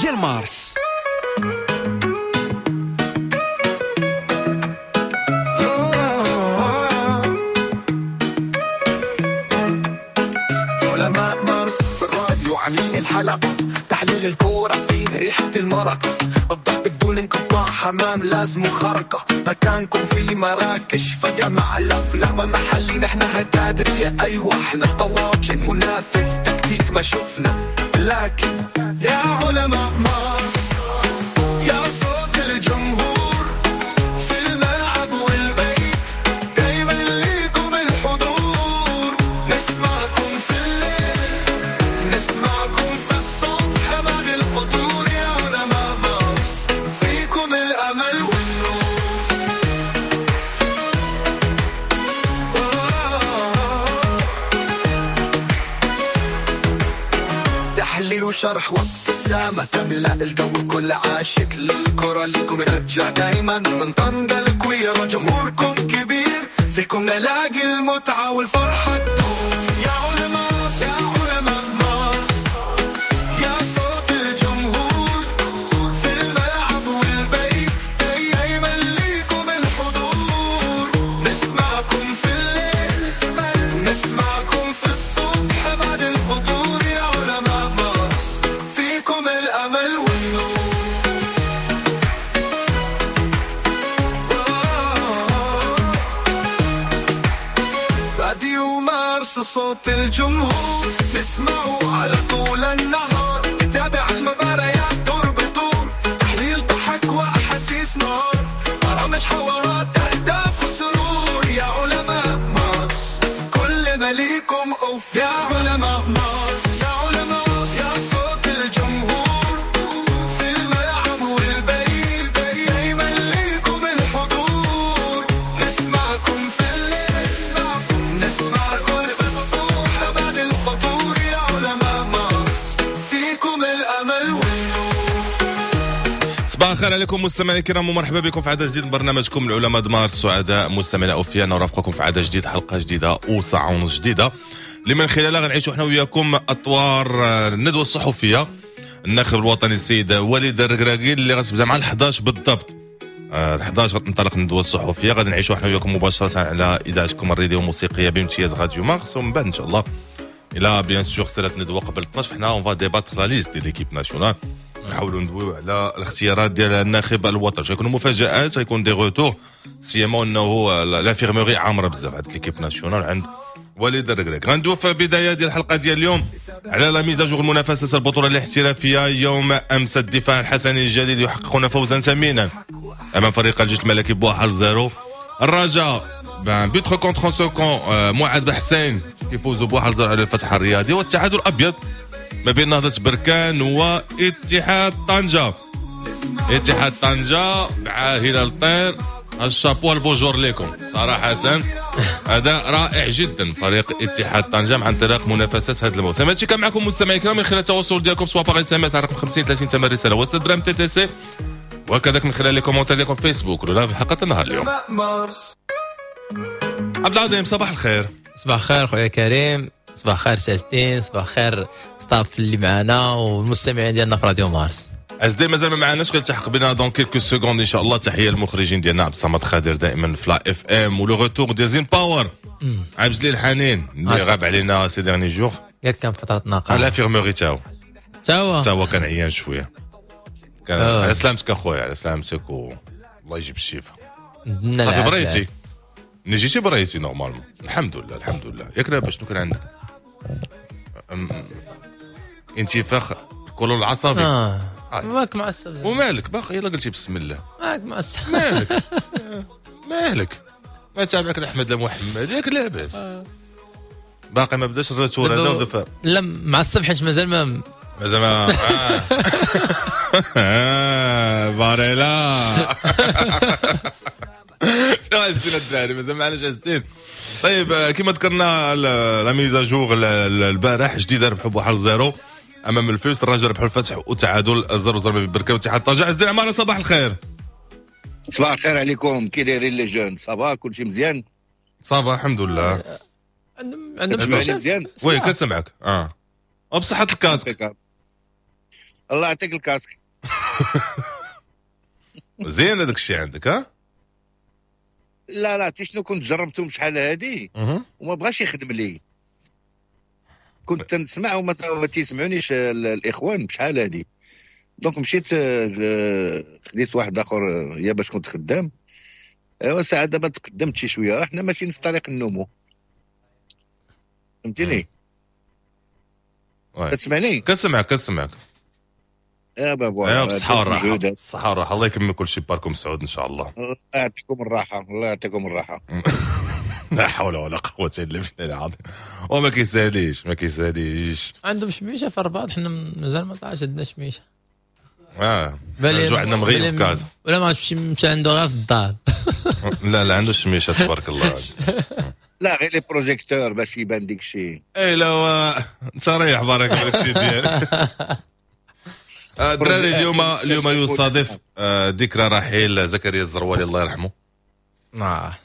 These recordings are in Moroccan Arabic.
ديال مارس. علماء مارس في الراديو عاملين الحلقة، تحليل الكورة فيه ريحة المرقة، الضحك بدون انقطاع، حمام لازم خرقة، مكانكم في مراكش فجمع الأفلام محلي، نحن هتادرية أيوة احنا طواجن، منافس تكتيك ما شفنا، لكن يا علماء مارس يا صوت الجمهور في الملعب والبيت، دايما ليكم الحضور، نسمعكم في الليل نسمعكم في الصبح بعد الفطور، يا علماء مارس فيكم الأمل والنور. تحليل وشرح وابتسامة تملأ الجو، كل عاشق للكرة ليكم نرجع دايما من طنجة الكويرة، جمهوركم كبير فيكم نلاقي المتعة والفرحة تدوم. يا علماء يا علماء مارس يا صوت الجمهور في الملعب والبيت، دايما ليكم الحضور، نسمعكم في الليل نسمعكم في الصبح بعد الفطور، يا علماء مارس فيكم الأمل والنور. راديو مارس صوت الجمهور، نسمعه على طول النهار، نتابع المباريات دور بدور، تحليل ضحك وأحاسيس نار، برامج حوارات أهداف وسرور، يا علماء مارس كل ما ليكم أوف، يا علماء مارس يا علماء يا صوت الجمهور في الملعب والبيت، دايما ليكم الحضور، نسمعكم في الليل نسمعكم في الصبح بعد الفطور، يا علماء مارس فيكم الأمل والنور. صباح الخير عليكم مستمعينا الكرام، ومرحبا بكم في عدد جديد من برنامجكم العلماء د مارس. سعداء مستمعينا اوفياء نرافقكم في عدد جديد، حلقة جديدة وساعة ونص جديدة اللي من خلالها غنعيشوا حنا وياكم اطوار الندوة الصحفية الناخب الوطني السيد وليد الركراكي اللي غتبدا مع 11 بالضبط. 11 غتنطلق الندوة الصحفية، غادي نعيشوا حنا وياكم مباشرة على اذاعتكم الراديو الموسيقية بامتياز راديو مارس. ومن بعد ان شاء الله الى bien sûr سالات الندوة قبل 12 حنا on va débattre la liste ديال l'équipe nationale، نحاولوا ندويو على الاختيارات ديال الناخب الوطني. غيكونوا مفاجآت، غيكون des retours، سيما انه l'infirmerie عامرة بزاف عند l'équipe nationale عند وليد الركراكي. غندويو في البداية ديال الحلقة ديال اليوم على la mise à jour المنافسة البطولة الاحترافية. يوم امس الدفاع الحسني الجديد يحققون فوزا ثمينا امام فريق الجيش الملكي ب1-0. الرجاء but contre son camp معاذ بحسين كيفوزوا ب1-0 على الفتح الرياضي. والتعادل الابيض ما بين نهضة بركان واتحاد طنجة. اتحاد طنجة مع هلال الطير، ال chapeau ال bonjour لكم صراحة، أداء رائع جدا فريق اتحاد طنجة مع انطلاق منافسات هذا الموسم. هادشي كان معكم مستمعي الكرام من خلال التواصل ديالكم سواء par SMS على رقم 50 30 ثمن رسالة و 6 درهم TTC، وكذلك من خلال les commentaires ديالكم في فيسبوك ولا في حلقة النهار اليوم. مارس عبد العظيم صباح الخير. صباح الخير خويا كريم، صباح الخير ساستين، صباح الخير staff اللي معنا والمستمعين ديالنا في راديو مارس. أزدي مازال ما معناش، غير التحق بنا dans quelques secondes ان شاء الله. تحية للمخرجين ديالنا عبد الصمد خادر دائما في la FM، و le retour ديال زين باور عبد الجليل الحنين اللي غاب علينا ces derniers jours، قال كان فترة نقاهه على l'infirmerie تاعو تا هو تا هو كان عيان شوية. كان على سلامتك اخويا، على سلامتك والله يجيب الشفاء. صافي بريتي، ملي جيتي بريتي normalement، الحمد لله الحمد لله. ياك لاباس؟ شنو كان عندك؟ انتفاخ القولون العصبي. مالك معصب ومالك باقي؟ يلا قلتي بسم الله مالك معصب؟ مالك مالك ما تابعك احمد لا محمد، ياك لاباس؟ باقي ما بداش ال retour هذا. لا معصب حيت مازال ما مازال ما باريلا شنو عزتين الدراري، مازال معناش عزتين. طيب كما ذكرنا la mise à jour البارح جديدة ربحوا ب1-0 امام الفوس، الرجاء ربحوا الفتح وتعادل 0-0 ببركان واتحاد طنجة. عز الدين عمارة صباح الخير. صباح الخير عليكم، كي دايرين les jeunes؟ ça va كلشي مزيان؟ ça va الحمد لله. عندهم مزيان؟ oui كنسمعك. بصحة ال casque. الله يعطيك ال casque. زين هذاك الشيء عندك؟ ها؟ لا لا، عرفتي شنو، كنت جربتهم شحال هادي وما بغاش يخدم لي. كنت تنسمع وما تيسمعونيش الاخوان بشحال هادي، donc مشيت خديت واحد اخر يا باش كنت خدام. ايوا ساعة دابا تقدمت شي شويه، حنا ماشيين في طريق النمو، فهمتيني؟ كتسمعني؟ كنسمعك كنسمعك. يا بابا. بالصحة والراحة، بالصحة والراحة، الله يكمل كل شيء باركم سعود إن شاء الله. الله يعطيكم الراحة، الله يعطيكم الراحة. لا حول ولا قوة إلا بالله العظيم. وما كيساليش، ما كيساليش. عندهم شميشة في الرباط، حنا مازال ما طلعش عندنا شميشة. جو عندنا مغيب في كازا. ولا ما عرفتش مشى عنده غير في الدار. لا لا، عنده شميشة تبارك الله. لا غير les projecteurs باش يبان ديك الشيء. اي لا، انت ريح بارك داك الشيء ديالك. الدراري، اليوم يصادف ذكرى رحيل زكريا الزروالي، الله يرحمه،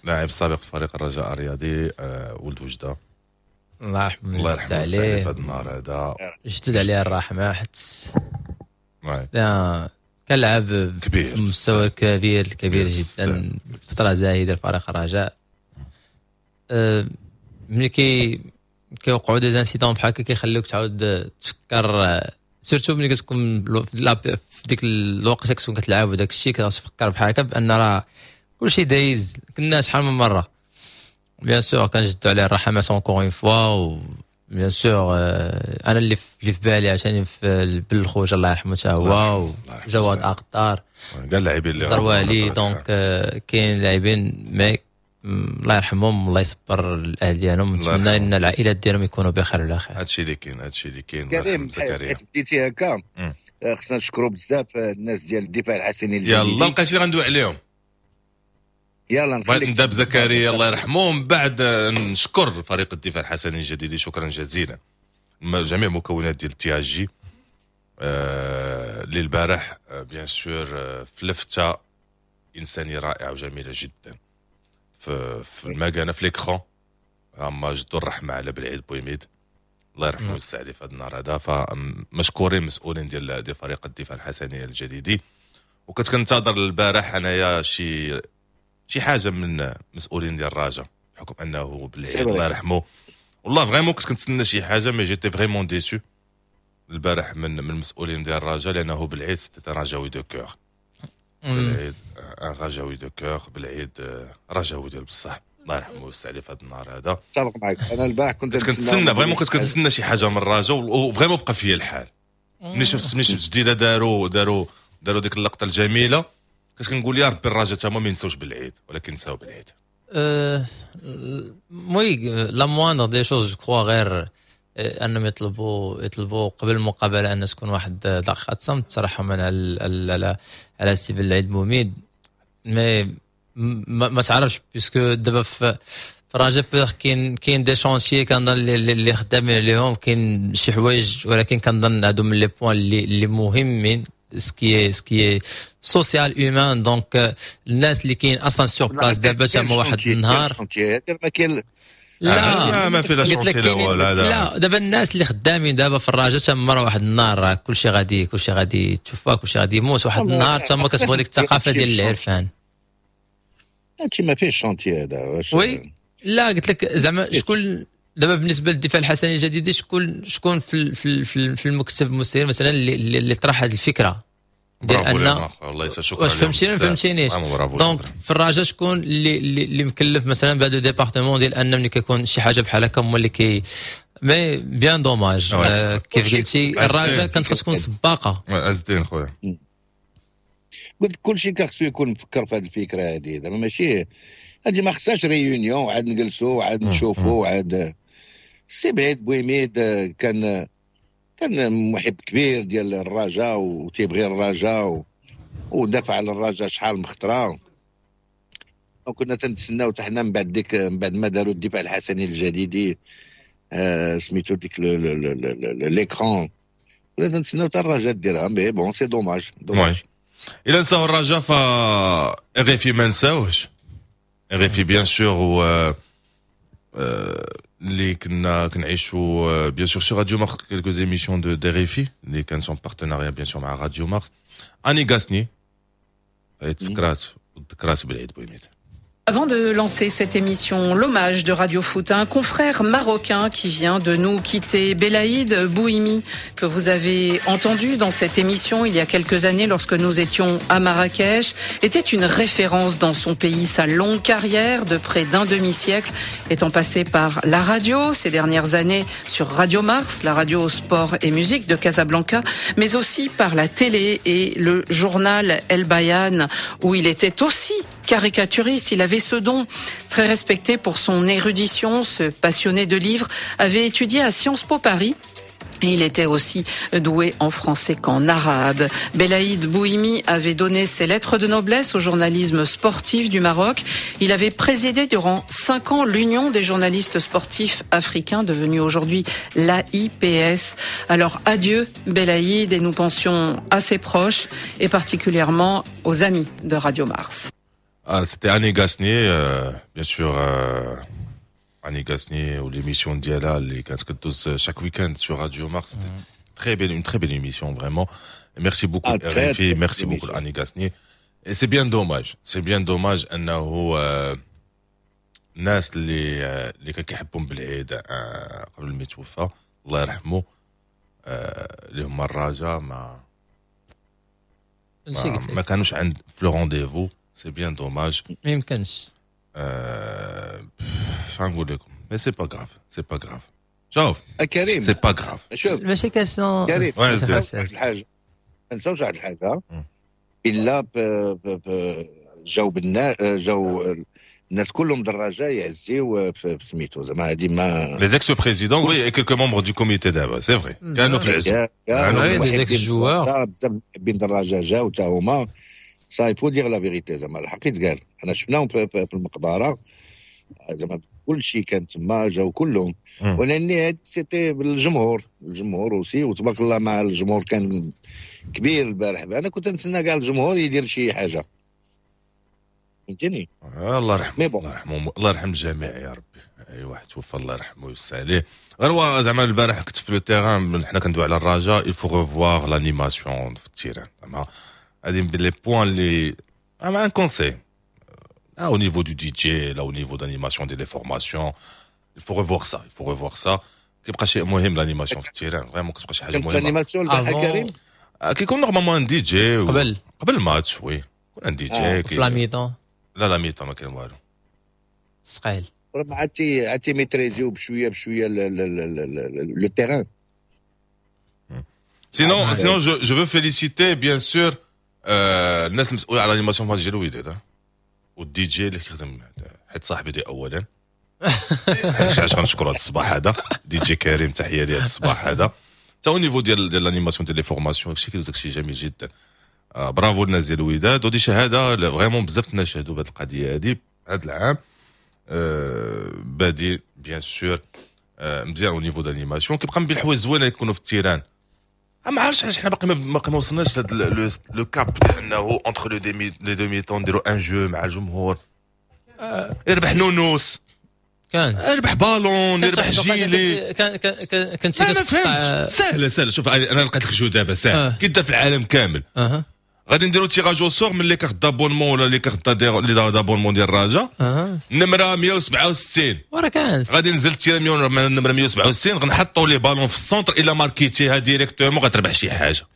لاعب سابق في فريق الرجاء الرياضي، ولد وجده. الله يرحمه. الله يرحمه عليه في هذا النهار هذا. جدد عليه الرحمه، حيت كان لعب كبير. في مستوى كبير كبير جدا، فترة زاهده لفريق الرجاء. ملي كيوقعوا des incidents بحال هكا كيخليوك تعاود تفكر، surtout ملي كتكون في ديك الوقت كتكون كتلعب وداك الشيء، كتفكر بحال هكا بان راه كلشي دايز، كنا شحال من مره. bien sûr كنجدو عليه الرحمة encore une fois، و bien sûr انا اللي في بالي عشان في بالخوج، الله يرحمه حتى هو، وجواد اقطار. كاع اللاعبين اللي زروالي، donc كاين لاعبين mais الله يرحمهم، الله يصبر الاهل ديالهم، نتمنى ان العائلات ديالهم يكونوا بخير وعلى خير. هادشي اللي كاين، هادشي اللي كاين. كريم، حيت بديتي هكا، خصنا نشكروا بزاف الناس ديال الدفاع الحسني الجديد. يلا لقيتي اللي غندوي عليهم. يلا. بغيت نبدا بزكريا الله يرحمه، ومن بعد نشكر فريق الدفاع الحسني الجديدي، شكرا جزيلا جميع مكونات ديال ال THJ اللي البارح bien sûr في لفته انسانيه رائعة وجميلة جدا في المكانه، في l'écran، هما جدوا الرحمة على بالعيد بويميد، الله يرحمه ويوسع عليه في هذا النهار هذا. فمشكورين مسؤولين ديال فريق الدفاع الحسني الجديدي. وكنت كنتظر البارح انايا شي حاجة من مسؤولين ديال الرجاء، بحكم انه بالعيد الله يرحمه. والله vraiment كنت كنتسنى شي حاجه، mais j'étais vraiment déçu البارح من المسؤولين ديال الرجاء، لانه بالعيد c'était رجاوي de cœur، بالعيد رجاوي de cœur، بالعيد رجاوي ديال بصح، الله يرحمه ويوسع عليه في هذا النهار هذا. اتفق معك، انا البارح كنت كنتسنى، vraiment كنت كنتسنى شي حاجة من الرجاء، و vraiment بقى فيا الحال ملي شفت جديدة داروا ديك اللقطة الجميله. كنت كنقول يا ربي الرجاء تما ما ينساوش بالعيد، ولكن نساو بالعيد. oui، la moindre des choses je crois غير انهم يطلبوا قبل المقابلة ان تكون واحد دقيقة صمت ترحما على سي بالعيد بوميد. mais ما تعرفش، puisque دابا في الرجاء كاين des chantiers كنظن اللي خدامين عليهم، كاين شي حوايج، ولكن كنظن هادو من les points اللي مهمين، ce qui est social humain، donc الناس اللي كاين اصلا sur place دابا تما واحد النهار. ما كاين. لا. ما في لا chantier لا والو. لا، دابا الناس اللي خدامين دابا في الرجاء تما واحد النهار كلشي غادي تشوفها، كلشي غادي يموت واحد النهار. تما كتبغي ديك الثقافة ديال العرفان. هادشي ما فيهش chantier هذا. oui، لا، قلت لك زعما شكون دابا بالنسبة للدفاع الحسني الجديد، شكون في المكتب المسير مثلا اللي طرح هذه الفكرة ديال ان والله شكرا. واش فهمتيني ما فهمتينيش؟ donc في الرجاء شكون اللي مكلف مثلا بهذا département ديال ان ملي كيكون شي حاجة بحال هكا هما اللي كي، mais bien dommage، كيف قلتي الرجاء كانت خص تكون سباقه. عز الدين خويا. قلت كل شيء خصو يكون مفكر في هذه الفكرة هذه. دابا ماشي هذه ما خصهاش réunion عاد نجلسوا عاد نشوفوا عاد. سي بعيد بويميد كان محب كبير ديال الرجاء وتيبغي الرجاء ودافع على الرجاء شحال من خطره. وكنا تنتسناو حتى حنا من بعد ما داروا الدفاع الحسني الجديدي سميتو ديك l'écran، كنا تنتسناو حتى الرجاء ديرها، mais bon c'est dommage dommage. الا نساو الرجاء ف RFI ما نساوهش، RFI bien sûr و اللي كنا كنعيشوا bien sûr sur Radio Mars quelques émissions de RFI اللي كانت en partenariat bien sûr مع Radio Mars. Annie Gasnier تفكرات وذكرات بالعيد بويميد. Avant de lancer cette émission, l'hommage de Radio Foot à un confrère marocain qui vient de nous quitter, Belaïd Bouhimi, que vous avez entendu dans cette émission il y a quelques années lorsque nous étions à Marrakech, était une référence dans son pays. Sa longue carrière de près d'un demi-siècle étant passée par la radio ces dernières années sur Radio Mars, la radio sport et musique de Casablanca, mais aussi par la télé et le journal El Bayan, où il était aussi caricaturiste. Il avait ce don, très respecté pour son érudition. Ce passionné de livres avait étudié à Sciences Po Paris. Et il était aussi doué en français qu'en arabe. Belaïd Bouhimi avait donné ses lettres de noblesse au journalisme sportif du Maroc. Il avait présidé durant 5 ans l'Union des journalistes sportifs africains, devenue aujourd'hui l'AIPS. Alors adieu Belaïd, et nous pensions à ses proches et particulièrement aux amis de Radio Mars. Ah, c'était Annie Gasnier, bien sûr, Annie Gasnier و l'émission ديالها اللي كانت كدوز chaque week-end sur Radio Mars. C'était très belle, une très belle émission, vraiment. Et merci beaucoup, Ah, très, RFI, très merci belle beaucoup, émission. Annie Gasnier. Et c'est bien dommage, c'est bien dommage أنه الناس اللي كان كيحبهم بالعيد قبل ما يتوفى الله يرحمه اللي هما الرجاء ماشي ما, قلت ما لك. كانوش عند في le rendez-vous، c'est bien dommage. ما يمكنش. اش غنقول لكم، mais c'est pas grave، c'est pas grave، شوف. كريم. c'est pas grave. شوف. ماشي question. كريم. Ouais. ما نساوش واحد الحاجه، ما نساوش واحد الحاجه. الا جاو بالنا جاو الناس كلهم دراجة يعزيو في سميتو زعما هذه ما Les ex-présidents, oui, et quelques membres du comité d'abord, c'est vrai. كانوا في العزو. Oui, des ex-joueurs. بزاف محبين دراجة جاو تا هما، ça il faut dire la vérité، زعما الحق يتقال، انا شفناهم في المقبره، زعما كل شيء كان تما، جاو كلهم. ولاني هاد c'était بالجمهور، الجمهور aussi، وتبارك الله مع الجمهور كان كبير البارح. انا كنت نتسنى كاع الجمهور يدير شي حاجه، فهمتني؟ الله يرحمه. mais bon. الله يرحمه، الله يرحم الجميع يا ربي. اي واحد توفى الله يرحمه ويوسع عليه. غير هو زعما البارح كنت في le terrain، حنا كندوي على الرجاء، il faut revoir l'animation في ال terrain. زعما هادي من les points اللي زعما un conseil au niveau du DJ، là au niveau d'animation des formations، il faut revoir ça، il faut revoir ça. كيبقى شيء مهم l'animation في ال terrain، vraiment كتبقى شي حاجة كانت مهمه. l'animation البارح كريم؟ كيكون normalement un DJ. قبل. قبل الماتش، oui، يكون un DJ. في la mi-temps؟ لا، la mi-temps ما كاين والو. ثقيل. ما عرفتي ميتريزيو بشوية بشوية le terrain. Sinon, sinon je veux féliciter bien sûr الناس المسؤولة على l'animation في ماتش ديال الوداد والدي جي اللي كيخدم، حيت صاحبي دي اولا، علاش غنشكر هذا الصباح هذا دي جي كريم، تحية لي هذا الصباح هذا. تا au niveau ديال l'animation ديال les formations، داكشي كيدوز داكشي جميل جدا. برافو الناس ديال الوداد، ودي شهادة vraiment بزاف الناس شهدوا بهذه القضية هذه هذا العام. بادي bien sûr مزيان au niveau d'animation. كيبقى من بين الحوايج الزوينة اللي يكونوا في ال terrain. ما عرفتش علاش حنا باقي ما وصلناش لهاد le cap ديال انه entre les deux mi-temps نديرو un jeu مع الجمهور، يربح نونوس، كان يربح بالون، يربح جيلي. كان كنت ما فهمتش. سهلة سهله، شوف، انا لقيت لك jeu دابا سهل كيدار في العالم كامل. غادي نديرو tirage au sort من les cartes d'abonnement ولا les cartes les d'abonnement ديال الرجاء. نمره 167. وراه كانت. غادي ننزل tirage من النمرة 167، غنحطوا les ballons في ال centre، الا ماركيتيها directement غتربح شي حاجه.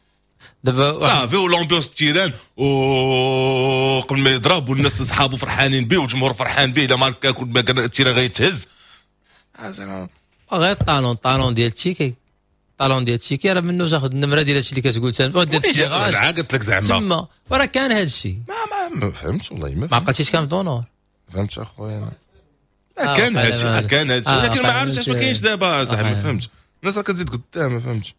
دابا صافي، و l'ambiance terrain و قبل ما يضرب والناس صحابو فرحانين به والجمهور فرحان به، الا ماركا كل ما كان ال terrain غيتهز زعما. غير talon talon ديال ال ticket، talon ديال ال ticket راه منو تاخذ النمرة ديال هادشي اللي كتقول انت دير ال tirage. قلت لك زعما. تما وراه كان هادشي. ما فهمتش والله ما. ما عقلتيش كان في دونور. فهمتش اخويا. لا، كان هادشي، كان هادشي، ولكن ما عرفتش علاش ما كاينش دابا صاحبي، ما فهمتش. الناس راه كتزيد قدام، ما فهمتش.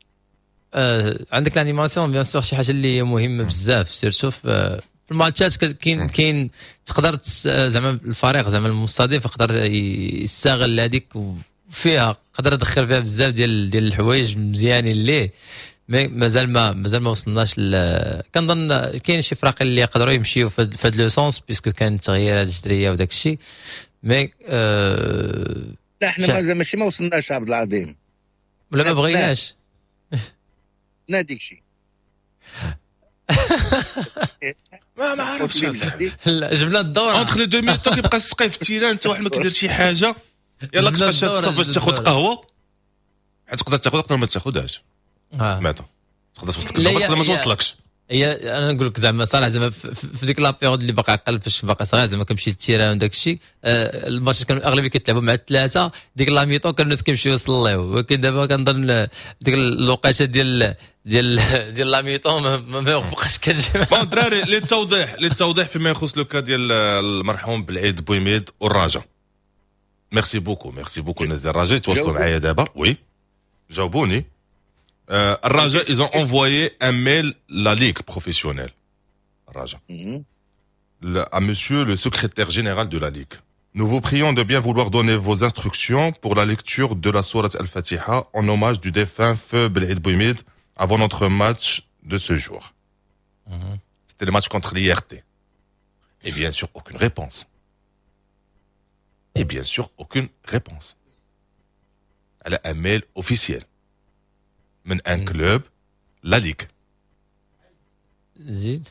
عندك l'animation bien sûr شي حاجة اللي هي مهمة بزاف، surtout في الماتشات. كاين تقدر زعما الفريق زعما المستضيف يقدر يستغل هذيك، فيها قدر يدخل فيها بزاف ديال الحوايج مزيانين ليه، mais مازال ما وصلناش. كنظن كاين شي فرق اللي يقدروا يمشيو في هذا le sens، puisque كان تغييرات جذرية وداك الشيء، mais لا حنا مازال ماشي ما وصلناش عبد العظيم، ولا ما بغيناش ناديك شي. ما عرفتش. لا جبنا الدورة entre les deux mi-temps كيبقى السقيف في ال terrain، انت واحد ما كيدير شي حاجة، يلا كتبقى شاد الصف باش تاخذ قهوة، حيت تقدر تاخذ تقدر ما تاخذهاش. سمعتها تقدر توصلك تقدر ما توصلكش. هي انا نقول لك زعما صراحة زعما في ديك la période اللي باقي عقل فاش باقي صغير زعما كنمشي لل terrain وداك الشيء، الماتش كانوا الاغلبية كيتلعبوا مع الثلاثة، ديك la mi-temps كانوا الناس كيمشيو يصليو، ولكن دابا كنظن ديك الوقيته ديال ديال ديال la mi-temps ما بقاش كتجي. bon الدراري للتوضيح فيما يخص le cas ديال المرحوم بالعيد بويميد والرجاء، merci beaucoup merci beaucoup الناس ديال الرجاء تواصلوا معايا دابا. oui جاوبوني. الرجاء ils ont envoyé un mail la ligue professionnelle Raja à monsieur le secrétaire général de la ligue. Nous vous prions de bien vouloir donner vos instructions pour la lecture de la sourate Al-Fatiha en hommage du défunt feu Belaïd Bouimid avant notre match de ce jour. C'était le match contre l'IRT. Et bien sûr aucune réponse. Et bien sûr aucune réponse. Elle a un mail officiel من un club la ligue. زيد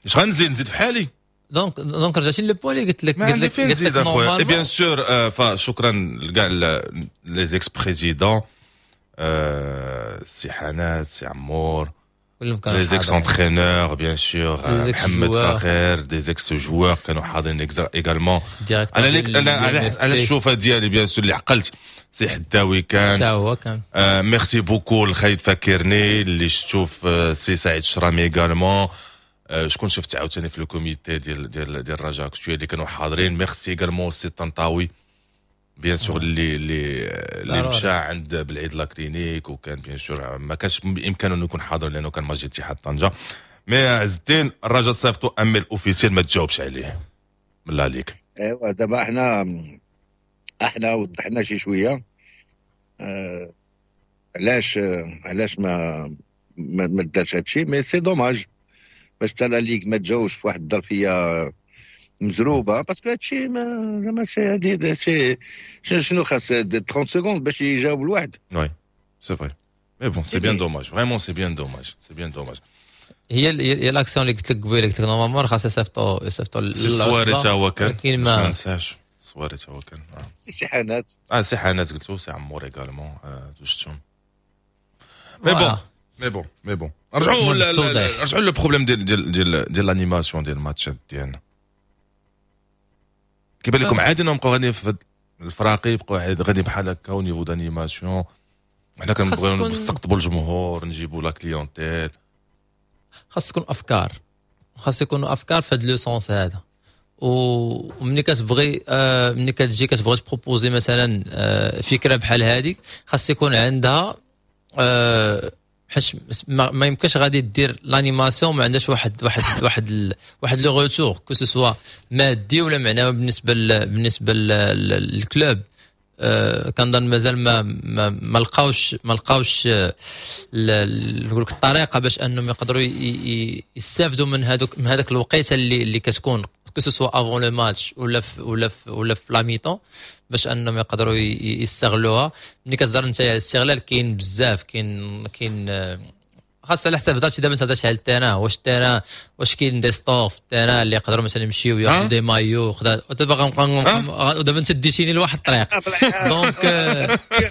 اش غنزيد؟ نزيد في حالي. donc رجعتي le point اللي قلت لك، قلت لك قلت لك اخويا. et bien sûr فشكرا لكاع les ex-présidents، سي حنات، سي عمور، les ex-entraîneurs bien sûr، محمد فخير، des ex-joueurs كانوا حاضرين également. انا ليك انا على الشوفه ديالي bien sûr اللي عقلت سي حداوي كان هو كان. merci beaucoup الخالد فاكرني اللي شفتو في سي سعيد الشرامي également. شكون شفت عاوتاني في le comité ديال ديال ديال الرجاء اللي كانوا حاضرين. merci également سي طنطاوي bien sûr اللي مشى عند بالعيد la clinique، وكان bien sûr ما كانش بامكانه انه يكون حاضر لانه كان ماجي اتحاد طنجه. mais عز الدين الرجاء صيفطو un mail officiel ما تجاوبش عليه من la ligue. ايوا دابا احنا وضحنا شي شوية علاش ما دارش هادشي، mais c'est dommage باش حتى la ligue ما تجاوبش في واحد الظرفية مزروبه، parce que هادشي ما c'est هادي شنو خاص 30 secondes باش يجاوب الواحد. oui c'est vrai mais bon c'est bien dommage، vraiment c'est bien dommage، c'est bien dommage. هي l'action اللي قلت لك قبيلة، قلت لك normalement خاص يصيفطوا السواري تا هو كان، ما ننساش السواري تا هو كان. سي حنات، سي حنات قلتو، سي عمور également شفتهم. mais bon mais bon mais bon رجعوا رجعوا le problème ديال ديال ديال ديال l'animation ديال الماتشات ديالنا. كيبان لكم عادي انهم بقاو غاديين في الفراقي، يبقاو غادي بحال هكا au niveau d'animation؟ حنا كنبغيو نستقطبوا الجمهور، نجيبوا la clientèle. خاص تكون افكار، خاص يكونوا افكار في هذا le sens هذا. ومني كتبغي ملي كتجي كتبغي ت proposer مثلا فكرة بحال هذيك، خاص يكون عندها حيت ما يمكنش غادي دير l'animation ما عندهاش واحد واحد واحد واحد le retour que ce soit مادي ولا معنوي بالنسبة لل club. كنظن مازال ما لقاوش نقول لك الطريقة باش انهم يقدروا يستافدوا من هذاك الوقيته اللي كتكون que ce soit avant le match ولا في la mi-temps باش انهم يقدروا يستغلوها. ملي كتهضر انت على الاستغلال كاين بزاف، كاين خاص على حساب هضرتي دابا انت هضرتي على ال terrain، واش ال terrain واش كاين des stores في ال terrain اللي يقدروا مثلا يمشيو ياخذوا des maillots خدا. دابا غنبقى دابا انت ديتيني لواحد الطريق donc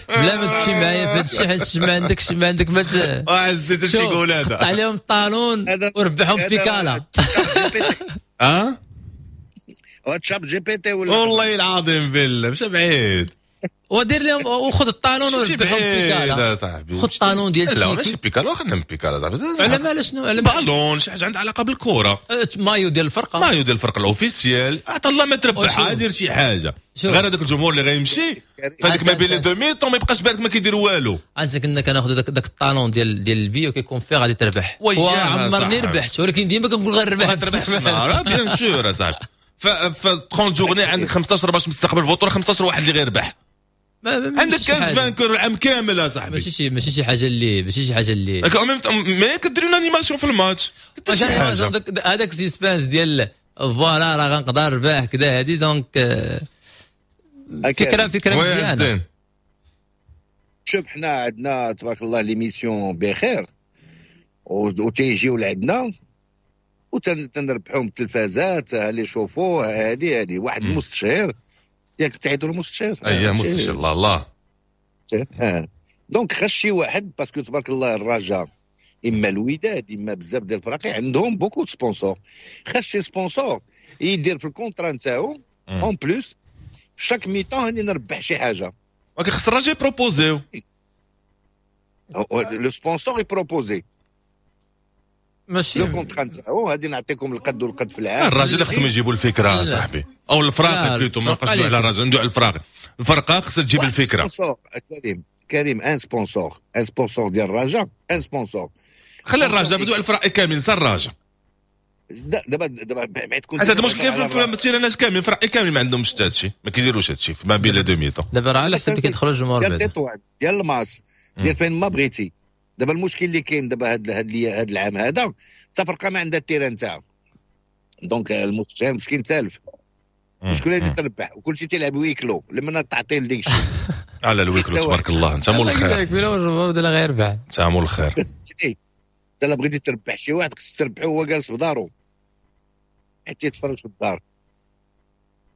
بلا ما تمشي معايا في هذا الشيء حيت ما عندك ما عز الدين كيقول هذا قطع عليهم ال talon وربحهم بيكالا. اه ChatGPT ولا والله العظيم بالله مشى بعيد ودير لهم وخذ ال talon وربحهم بيكالا. خذ ال talon ديال لا ماشي بيكالا، خلينا من بيكالا صاحبي. على مال شنو؟ على بالون شي حاجة عندها علاقة بالكرة، مايو ديال الفرقة، مايو ديال الفرقة ال officiel. عطا الله ما تربحها، دير شي حاجة غير هذاك الجمهور اللي غيمشي فهاديك ما بين les deux mi-temps ما يبقاش بالك ما كيدير والو. انت كنا كناخذ داك ال talon ديال البيو كيكون فيه غادي تربح، وعمرني ربحت ولكن ديما كنقول غنربح. غتربح bien sûr اصاحبي. ف 30 journées عندك 15 باش مستقبل البطولة، 15 واحد اللي غيربح، عندك 15 vainqueurs العام كامل اصاحبي. ماشي شي حاجة اللي ماشي شي حاجة اللي mais كدير une animation في الماتش، هذاك suspense ديال voilà راه غنقدر نربح كذا هادي. donc فكرة مزيانه. شوف حنا عندنا تبارك الله l'émission بخير وتيجيو لعندنا وتنربحوهم التلفازات les chauffe-eau هذه واحد المستشير ياك تعيطوا له مستشير. اي مستشير الله الله. donc خاص شي واحد parce que تبارك الله الرجاء اما الوداد اما بزاف ديال الفراقي عندهم beaucoup sponsors، خاص شي sponsor يدير في ال contrat نتاعو en plus chaque mi-temps هاني نربح شي حاجة. ولكن خص الرجاء يبروبوزيو le sponsor يبروبوزي ماشي le contrat نتاعو غادي نعطيكم القد والقد في العام. الراجل اللي خصهم يجيبوا الفكرة صاحبي او الفراقي plutôt، ما نبقاش ندوي على الراجل، ندوي على الفراقي. الفرقة خصها تجيب الفكرة. كريم un sponsor، un sponsor ديال الرجاء، un sponsor. خلي الرجاء بدو على الفرق كامل، نسى الرجاء. دابا بعد كنت هذا المشكل في التيرانات كامل، الفرق كامل ما عندهمش حتى هادشي، ما كيديروش هادشي ما بين les deux mi-temps. دابا راه على حسب كيدخلوا الجمهور ديال تطوان ديال الماس ديال فين ما بغيتي. دابا المشكل اللي كاين دابا هاد العام هذا حتى فرقه ما عندها ال terrain تاعها، donc المستشار مسكين تالف. شكون اللي تربح وكل شيء تيلعب huis clos لما تعطي لديك الشيء على ال huis clos تبارك الله. انت مول الخير الجمهور ديال غير ربح، انت مول الخير. انت لا بغيتي تربح شي واحد خصك تربحو هو جالس في دارو حتى يتفرج في الدار.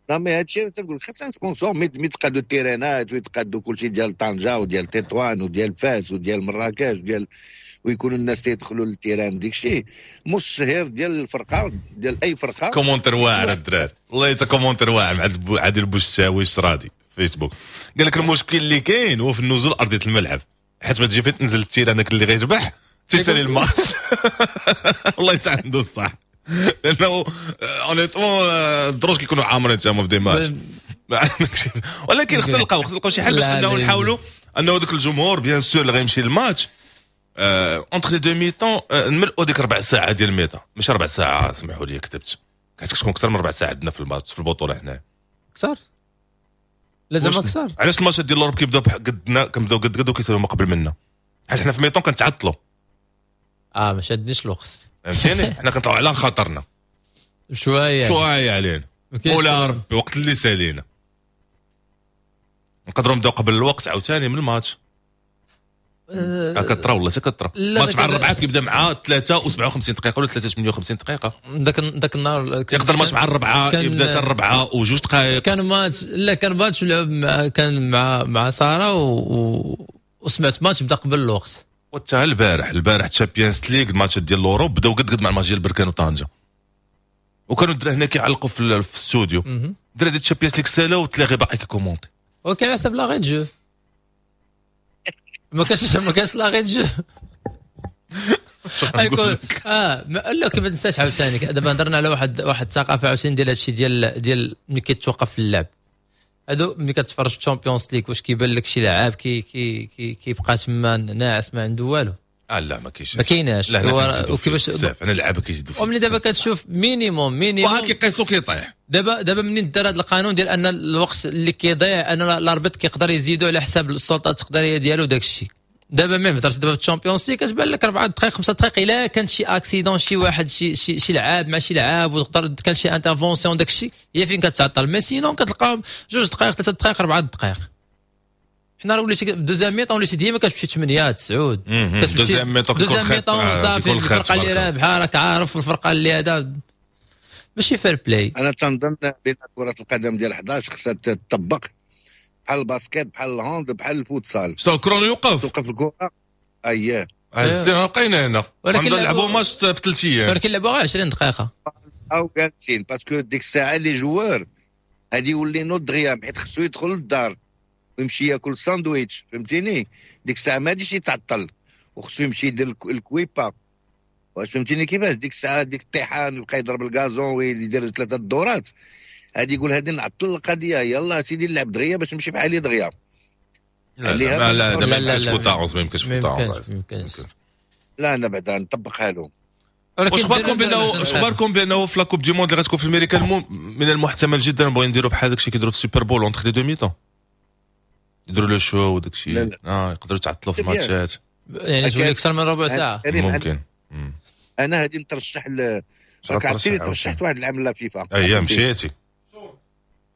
لا mais هادشي تنقول خاص sponsor mais يتقادوا التيرانات ويتقادوا كلشي ديال طنجه وديال تطوان وديال فاس وديال مراكش وديال، ويكونوا الناس تيدخلوا لل terrain ديك الشيء. مستشهر ديال الفرقة ديال اي فرقه. commentaire واعر الدراري والله حتى commentaire واعر مع عادل بوشتاوي الشرادي فيسبوك، قال لك المشكل اللي كاين هو في النزول ارضية الملعب، حيت ما تجي فين تنزل ال terrain داك اللي غيربح تيسالي الماتش. والله حتى عنده الصح، لانه honnêtement الدروج كيكونوا عامرين تما في des matchs ما عندكش. ولكن خصنا نلقاو شي حل باش انه نحاولوا انه ذاك الجمهور bien sûr اللي غيمشي لل match entre les deux mi-temps نملؤوا ديك ربع ساعة ديال ال mi-temps، ماشي ربع ساعة سمحوا لي كتبت، حيت كتكون اكثر من ربع ساعة عندنا في الماتش في البطولة هنا. اكثر لازم اكثر. علاش الماتشات ديال l'Europe كيبداو قدنا، كنبداو قد قد وكيسالوا ما قبل منا، حيت حنا في mi-temps كنتعطلوا. ما شادنيش الوقت فهمتيني، حنا كنطلعوا على خاطرنا شوية شوية علينا ولا ربي وقت اللي سالينا نقدروا نبداو قبل الوقت عاوتاني من الماتش. كترا والله كترا ماتش مع الربعه كيبدا مع 3:57 دقيقة ولا 3:58 دقيقة. داك النهار يقدر الماتش مع الربعه يبدا حتى الربعه وجوج دقائق. كان ماتش لا كان ماتش لعب كان مع ساره وسمعت ماتش بدا قبل الوقت. وحتى البارح Champions League الماتش ديال l'Europe بداو قد قد مع الماتش ديال بركان وطنجه، وكانوا الدراري هنا كيعلقوا في الاستوديو. الدراري ديال Champions League سالاو وتلاغي باقي كي commenter. وكان على حسب l'arrêt de jeu، ما كانش l'arrêt de jeu. يكون لا كيف ما تنساش عاوتاني دابا هضرنا على واحد الثقافة عاوتاني ديال هادشي ديال ملي كيتوقف اللعب. هادو ملي كتفرج Champions League واش كيبان لك شي لاعب كي كي كي كيبقى تما ناعس ما عنده والو؟ لا ما كاينش، ما كايناش. وكيفاش انا اللعابه كيزيدوا وملي دابا كتشوف minimum وها كيقيسو كيطيح. دابا منين دار هذا القانون ديال ان الوقت اللي كيضيع ان l'arbitre كيقدر يزيدو على حساب السلطة التقديريه ديالو داك الشيء. دابا même هضرت دابا في ال Champions League كتبان لك 4 دقائق 5 دقائق الا كان شي accident شي واحد شي شي, شي لعاب مع شي لعاب وتقدر كان شي intervention داك الشيء هي فين كتعطل. mais sinon كتلقاهم 2 دقائق 3 دقائق 4 دقائق. حنا راه وليتي deuxième mi-temps وليتي ديما كتمشي 8 9 deuxième mi-temps deuxième mi-temps صافي. الفرقة اللي رابحه راك عارف والفرقة اللي هذا ماشي fair-play. انا تنظن بان كره القدم ديال 11 خصها تطبق بحال ال basket بحال ال hand بحال الفوتسال. شتو chrono يوقف توقف الكره. اييه بقينا هنا ولكن نلعبوا ماتش في 3 ايام، ولكن لعبوا غير 20 دقيقة او جالسين parce que ديك الساعة les joueurs غادي يولي نوض دغيا حيت خصو يدخل للدار ويمشي ياكل ساندويتش فهمتيني. ديك الساعة ما غاديش يتعطل وخصو يمشي يدير الكويبا واش فهمتيني كيفاش. ديك الساعة ديك الطيحان ويبقى يضرب ال gazon ويدير 3 الدورات غادي يقول هادي نعطل القضية يلا سيدي نلعب دغيا باش نمشي بحالي دغيا. لا لا لا ما يمكنش فوت ما يمكنش فوت. لا انا بعدا نطبقها لهم. واش اخباركم بانه في la Coupe du monde اللي غتكون في امريكا من المحتمل جدا بغينا نديروا بحال داكشي كيديروا في ال Super Bowl entre les deux mi-temps يديروا le show وداك الشيء. يقدروا يتعطلوا في الماتشات يعني تولي اكثر من ربع ساعة ممكن. انا هادي نترشح راك عرفتيني ترشحت واحد العام la FIFA. اييه مشيتي.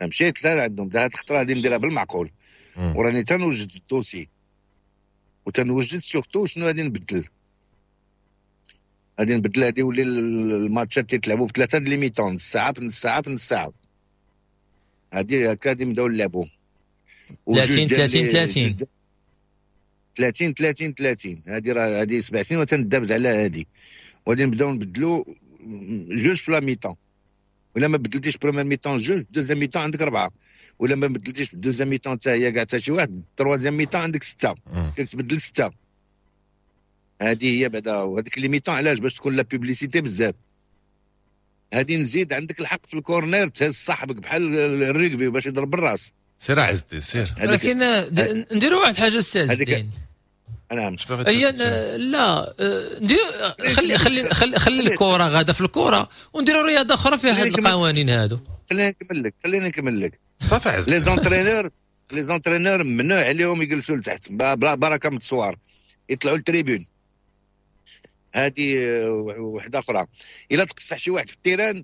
مشيت لا عندهم هاد الخطرة غادي نديرها بالمعقول. وراني تنوجد ال dossier وتنوجد surtout شنو غادي نبدل. غادي نبدل هادي يولي الماتشات تيتلعبوا بثلاثة les mi-temps، نص ساعة بنص ساعة بنص ساعة. هادي هكا غادي نبداو نلعبوا 30 30 30 30 30 30. هادي راه هادي 7 سنين وتندابز على هادي. وغادي نبداو نبدلو جوج في la mi-temps. ولا ما بدلتيش première mi-temps جوج، deuxième mi-temps عندك 4. ولا ما بدلتيش deuxième mi-temps حتى هي كاع حتى شي واحد، troisième mi-temps عندك 6. كتبدل 6. هذه هي بعدا. وهذيك les mi-temps علاش؟ باش تكون la publicité بزاف. هذه نزيد عندك الحق في ال corner تهز صاحبك بحال الريغبي باش يضرب بالراس. سير عزتي سير. ولكن نديروا واحد الحاجة السي عز الدين. نعم. هي لا ندير خلي خلي خلي خلي الكره غاده في الكره ونديروا رياضة اخرى فيها هاد القوانين هادو. خليني نكمل لك، خليني نكمل لك. صافي عز. les entraîneurs، les entraîneurs ممنوع عليهم يجلسوا لتحت، بركة من التصوار، يطلعوا لل tribune. هذه وحده اخرى. الا تقصح شي واحد في ال terrain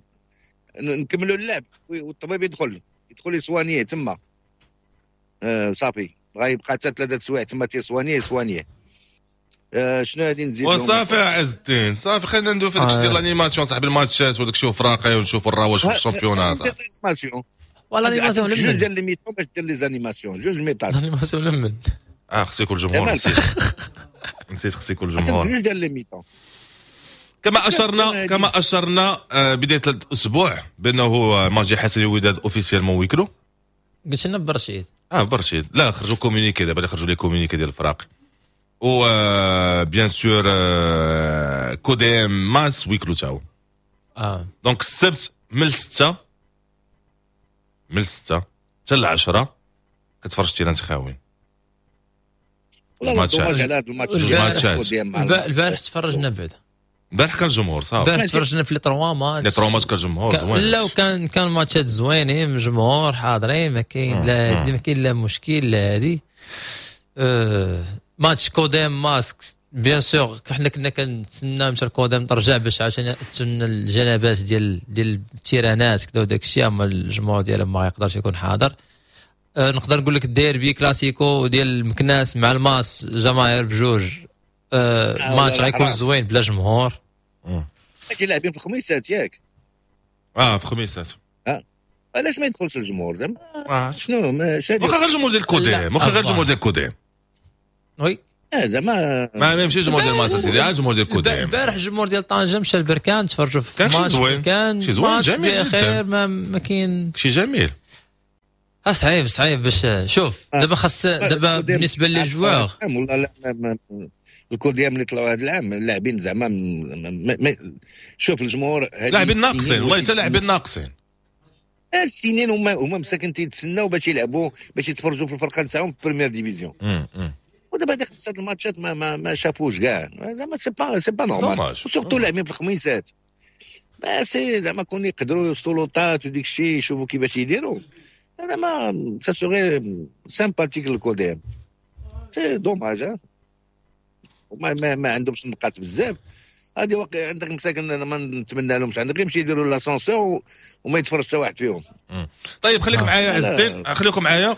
نكملوا اللعب والطبيب يدخل يsoigner تما. صافي غيبقى حتى 3 سوايع تما تيsoigner يsoigner. شنو غادي نزيد؟ وصافي يا عز الدين صافي، خلينا ندوي في داكشي ديال l'animation صاحبي، الماتشات وداك الشيء وفراقي ونشوفوا الرواج في ال championnat صاحبي. ولا l'animation لمن؟ جوج ديال les mi-temps باش دير les animations، جوج ميطات. l'animation لمن؟ خص يكون الجمهور. نسيت خص يكون الجمهور. جوج ديال les mi-temps. كما اشرنا بداية الاسبوع بانه ماتش حسني وداد officiellement huis clos. قلت لنا برشيد. برشيد لا خرجوا communiqué دابا، خرجوا les communiqués ديال الفراق. و bien sûr كوديم ماس huis clos تاو. donc السبت من 6 حتى 10 كتفرج terrain خاويين. والله dommage على هذا الماتش. البارح تفرجنا بعدا. البارح كان الجمهور صافي. البارح تفرجنا في les trois matchs. les trois matchs كان الجمهور زوين. لا وكان كان ماتشات زوينين، الجمهور حاضرين، ما كاين لا ما كاين لا مشكل لا هادي. ماتش كوديم ماسك bien sûr حنا كنا كنتسناو مشى الكوديم ترجع باش عشان تسنى الجنبات ديال التيرانات كذا وداك الشيء، اما الجمهور ديالهم ما يقدرش يكون حاضر. نقدر نقول لك الديربي كلاسيكو ديال المكناس مع الماس جماهير بجوج، ماتش غيكون زوين بلا جمهور. لاعبين في الخميسات ياك؟ في الخميسات. علاش ما يدخلش الجمهور زعما؟ شنو واخا غير الجمهور ديال الكوديم، واخا غير الجمهور ديال الكوديم. oui زعما ما يمشيش الجمهور ديال الماس سيدي، الجمهور ديال الكوديم. البارح الجمهور ديال طنجة مشى لبركان تفرجوا في ماتش، كان شي زوين جميل بخير، ما كاين شي جميل. صعيب صعيب باش شوف دابا خاص دابا بالنسبة les joueurs والله لا الكوديام اللي طلعوا هذا العام اللاعبين زعما شوف الجمهور لاعبين ناقصين، والله حتى لاعبين ناقصين. السنين هما مساكن تيتسناو باش يلعبوا باش يتفرجوا في الفرقة نتاعهم في première division. ودابا هذيك 5 الماتشات ما شافوش كاع زعما c'est pas normal، و surtout لاعبين في الخميسات. c'est زعما كون يقدروا السلطات وديك الشيء يشوفوا كيفاش يديروا. هذا ما ça serait sympathique الكوديم، c'est dommage. وما ما عندهمش نقاط بزاف. هذه واقع عندك مساكن انا ما نتمنى لهمش، عندك يمشي يديروا l'ascenseur وما يتفرج حتى واحد فيهم. طيب خليكم معايا عز الدين، خليكم معايا.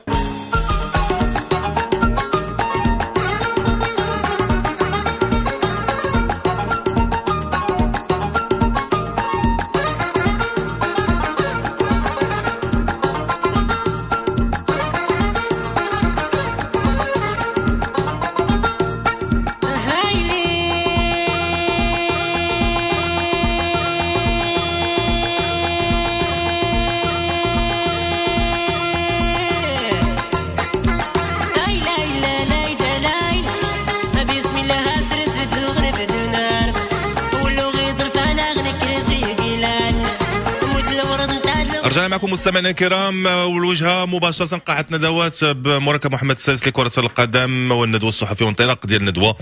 رجعنا معكم مستمعينا الكرام، والوجهه مباشرة قاعة ندوات بمركب محمد السادس لكرة القدم والندوه الصحفية وانطلاق ديال الندوة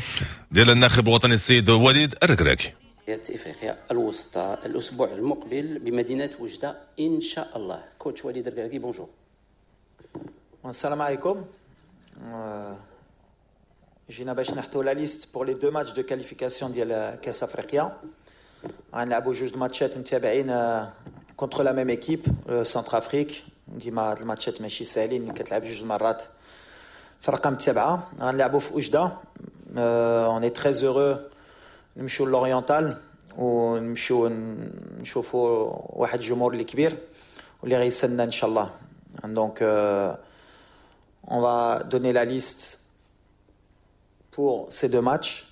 ديال الناخب الوطني السيد وليد الركراكي. افريقيا الوسطى الاسبوع المقبل بمدينة وجده ان شاء الله. coach وليد الركراكي bonjour. السلام عليكم. جينا باش نحطوا la liste pour les deux matchs de qualification ديال كاس افريقيا. غنلعبوا جوج ماتشات متابعين contre la même équipe, le Centrafrique. ديما هاد الماتشات ماشي ساهلين ملي كتلعب جوج مرات فرقه متابعه. غنلعبوا في وجده، on est très heureux نمشيو l'Oriental ونمشيو نشوفوا واحد الجمهور اللي كبير واللي غيستنى ان شاء الله. Donc on va donner la liste pour ces deux matchs.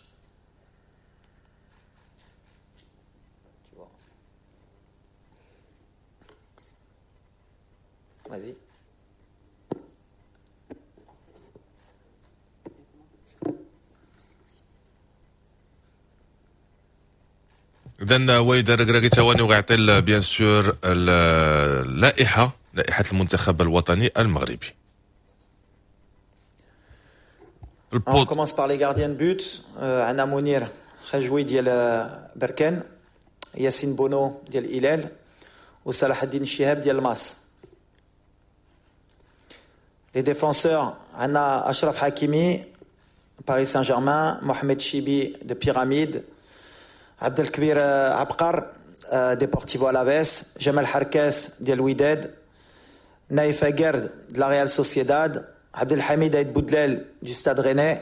Vas-y. اذا وليد الركراكي ثواني وغيعطي bien sûr اللائحة، لائحة المنتخب الوطني المغربي. On commence par les gardiens de but. عندنا منير خجوي ديال بركان، ياسين بونو ديال الهلال، وصلاح الدين الشهاب ديال الماس. Les défenseurs, عندنا أشرف حكيمي باريس سان جيرمان، محمد شيبي de Pyramide، عبد الكبير عبقر ديبورتيفو ألافيس، جمال حركاس ديال الوداد، نايف أكرد de la Real Sociedad، عبد الحميد عيد بودلال du Stade Rennais،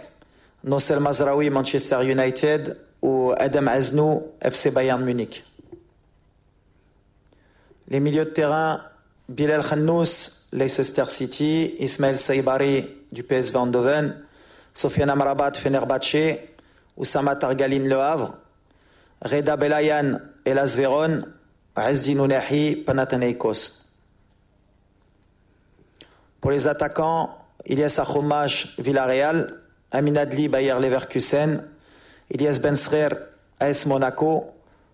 نصير مزراوي مانشستر يونايتد، وادم عزنو FC بايرن ميونيك. Les milieux de terrain, Bilal Khannous, Leicester City, Ismaël Saibari du PSV Eindhoven, Sofiane Amrabat, Fenerbahçe, Oussama Targaline Le Havre, Reda Belayan, Hellas Vérone, Azzedine Ounahi, Panathinaikos. Pour les attaquants, Ilyes Akhomach, Villarreal, Amin Adli, Bayer Leverkusen, Ilyes Ben Seghir, AS Monaco,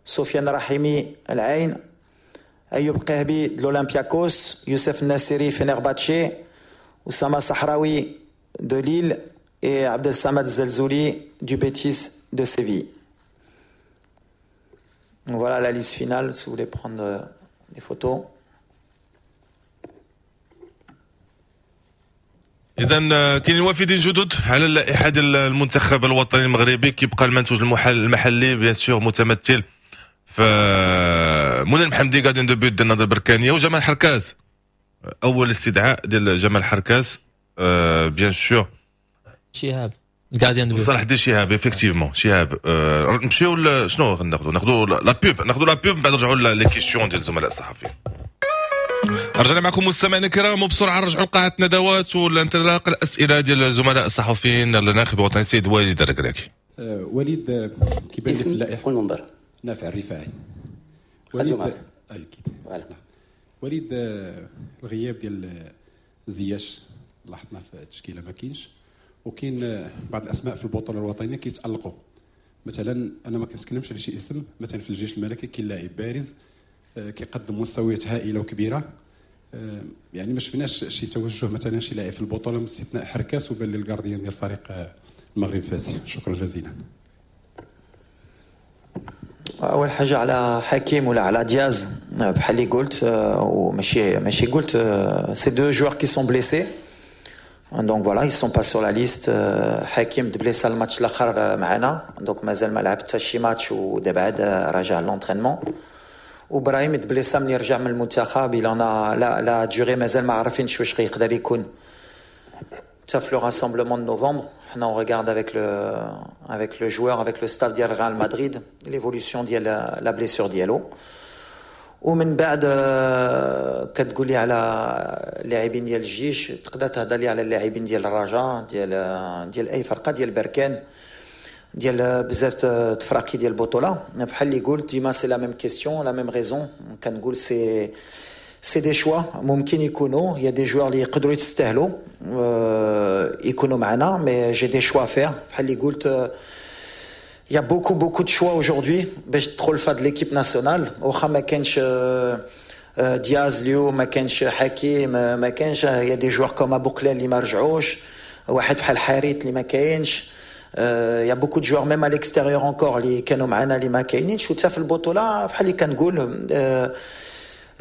Sofiane Rahimi, Al Ain, Ayoub Kaabi de l'Olympiakos, Youssef Nassiri, Fenerbahçe, Oussama Sahraoui de Lille et Abdel Samad Zelzouli du Betis de Séville. Donc voilà la liste finale, si vous voulez prendre les photos. اذا كاينين وافدين جدد على اللائحة ديال المنتخب الوطني المغربي. كيبقى المنتوج المحلي bien sûr متمثل في منير محمدي gardien de but ديال النهضة البركانيه، وجمال حركاس، اول استدعاء ديال جمال حركاس bien sûr. شهاب gardien de but، صلاح الدين شهاب effectivement شهاب. نمشيو شنو غناخذوا؟ ناخذوا la pub، ناخذوا la pub من بعد نرجعوا les questions ديال الزملاء الصحفيين. رجعنا معكم مستمعينا الكرام، وبسرعة نرجعوا لقاعه الندوات والانطلاق الاسئلة ديال الزملاء الصحفيين للناخب الوطني السيد وليد الركراكي. وليد كيبان لي في اللائحة والمنبر نافع الرفاعي. وليد اكيد وليد الغياب ديال زياش لاحظنا في التشكيلة ما كاينش، وكاين بعض الاسماء في البطولة الوطنية كيتالقوا. مثلا انا ما كنتكلمش على شي اسم، مثلا في الجيش الملكي كاين لاعب بارز كيقدم مستويات هائلة وكبيره، يعني ما شفناش شي توجه مثلا شي لاعب في البطولة باستثناء حركاس وبان لي ال gardien ديال فريق المغرب الفاسي. شكرا جزيلا. اول حاجة على حكيم ولا على دياز بحال اللي قلت، وماشي ماشي قلت، c'est deux joueurs qui sont blessés، donc voilà ils sont pas sur la liste. حكيم تبليسا الماتش الاخر معنا، donc مازال ما لعب حتى شي ماتش ودابا عاد راجع l'entraînement. وابراهيم تبليسا ملي رجع من المنتخب، il en a la durée مازال ما عارفينش واش غيقدر يكون حتى في le rassemblement de novembre. حنا on regarde avec le joueur، avec le staff ديال ريال مدريد، l'évolution ديال la blessure ديالو. ومن بعد كتقول لي على اللاعبين ديال الجيش، تقدر تهضر لي على اللاعبين ديال الرجاء، ديال اي فرقه، ديال بركان، ديال بزاف تفراقي ديال البطولة. بحال اللي قلت ديما c'est la même question، la même raison. كنقول c'est des choix ممكن يكونوا، y a des joueurs اللي يقدروا يستاهلوا يكونوا معنا، mais j'ai des choix à faire. بحال اللي قلت il y a beaucoup beaucoup de choix aujourd'hui باش تدخل في هاد l'équipe nationale. واخا ما كانش دياز اليوم، ما كانش حكيم، ما كانش، y a des joueurs comme ابو قلال اللي ما رجعوش، واحد بحال حاريت اللي ما كاينش، y a beaucoup de joueurs même à l'extérieur encore اللي كانوا معنا اللي ما كاينينش. وحتى في البطولة بحال اللي كنقول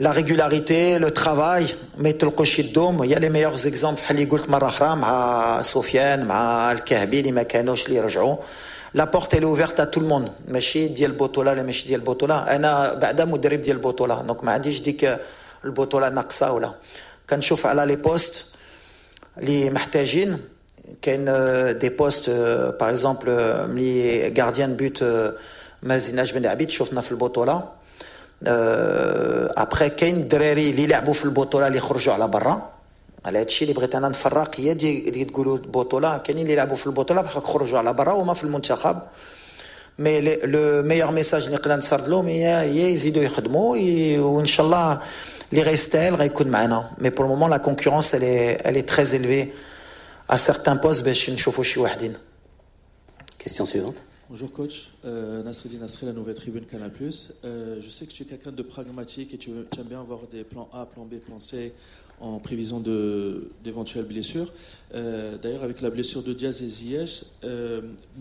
la régularité، le travail، ما يطلقوش يدوم. y a les meilleurs exemples بحال اللي قلت مرة اخرى مع سفيان، مع الكهبي اللي ما كانوش اللي رجعوا. la porte elle est ouverte à tout le monde، ماشي ديال البطولة لا ماشي ديال البطوله. انا بعدا مدرب ديال البطوله، donc ما عنديش ديك البطولة ناقصه ولا. كنشوف على les postes اللي محتاجين. كاين des postes, par exemple ملي gardien de but ما زيدناش بن عبيد, شفنا في البطوله. après كاين الدراري اللي لعبوا في البطولة اللي خرجوا على برا. على هادشي اللي بغيت انا نفرق, هي دي اللي تقولوا البطوله, كاينين اللي لعبوا في البطولة بحال خرجوا على برا وما في المنتخب. mais le meilleur message اللي نقدر نسرد لهم هي يزيدوا يخدموا, وان شاء الله اللي غيستاهل غيكون معنا. mais pour le moment la concurrence elle est très élevée à certains postes باش نشوفوا شي وحدين. Question suivante. Bonjour coach, Nasreddin Nasri, la nouvelle tribune Canal+. Je sais que tu es quelqu'un de pragmatique et tu aimes bien avoir des plans A, plan B, plan C en prévision d'éventuelles blessures. D'ailleurs, avec la blessure de Diaz et Ziyech,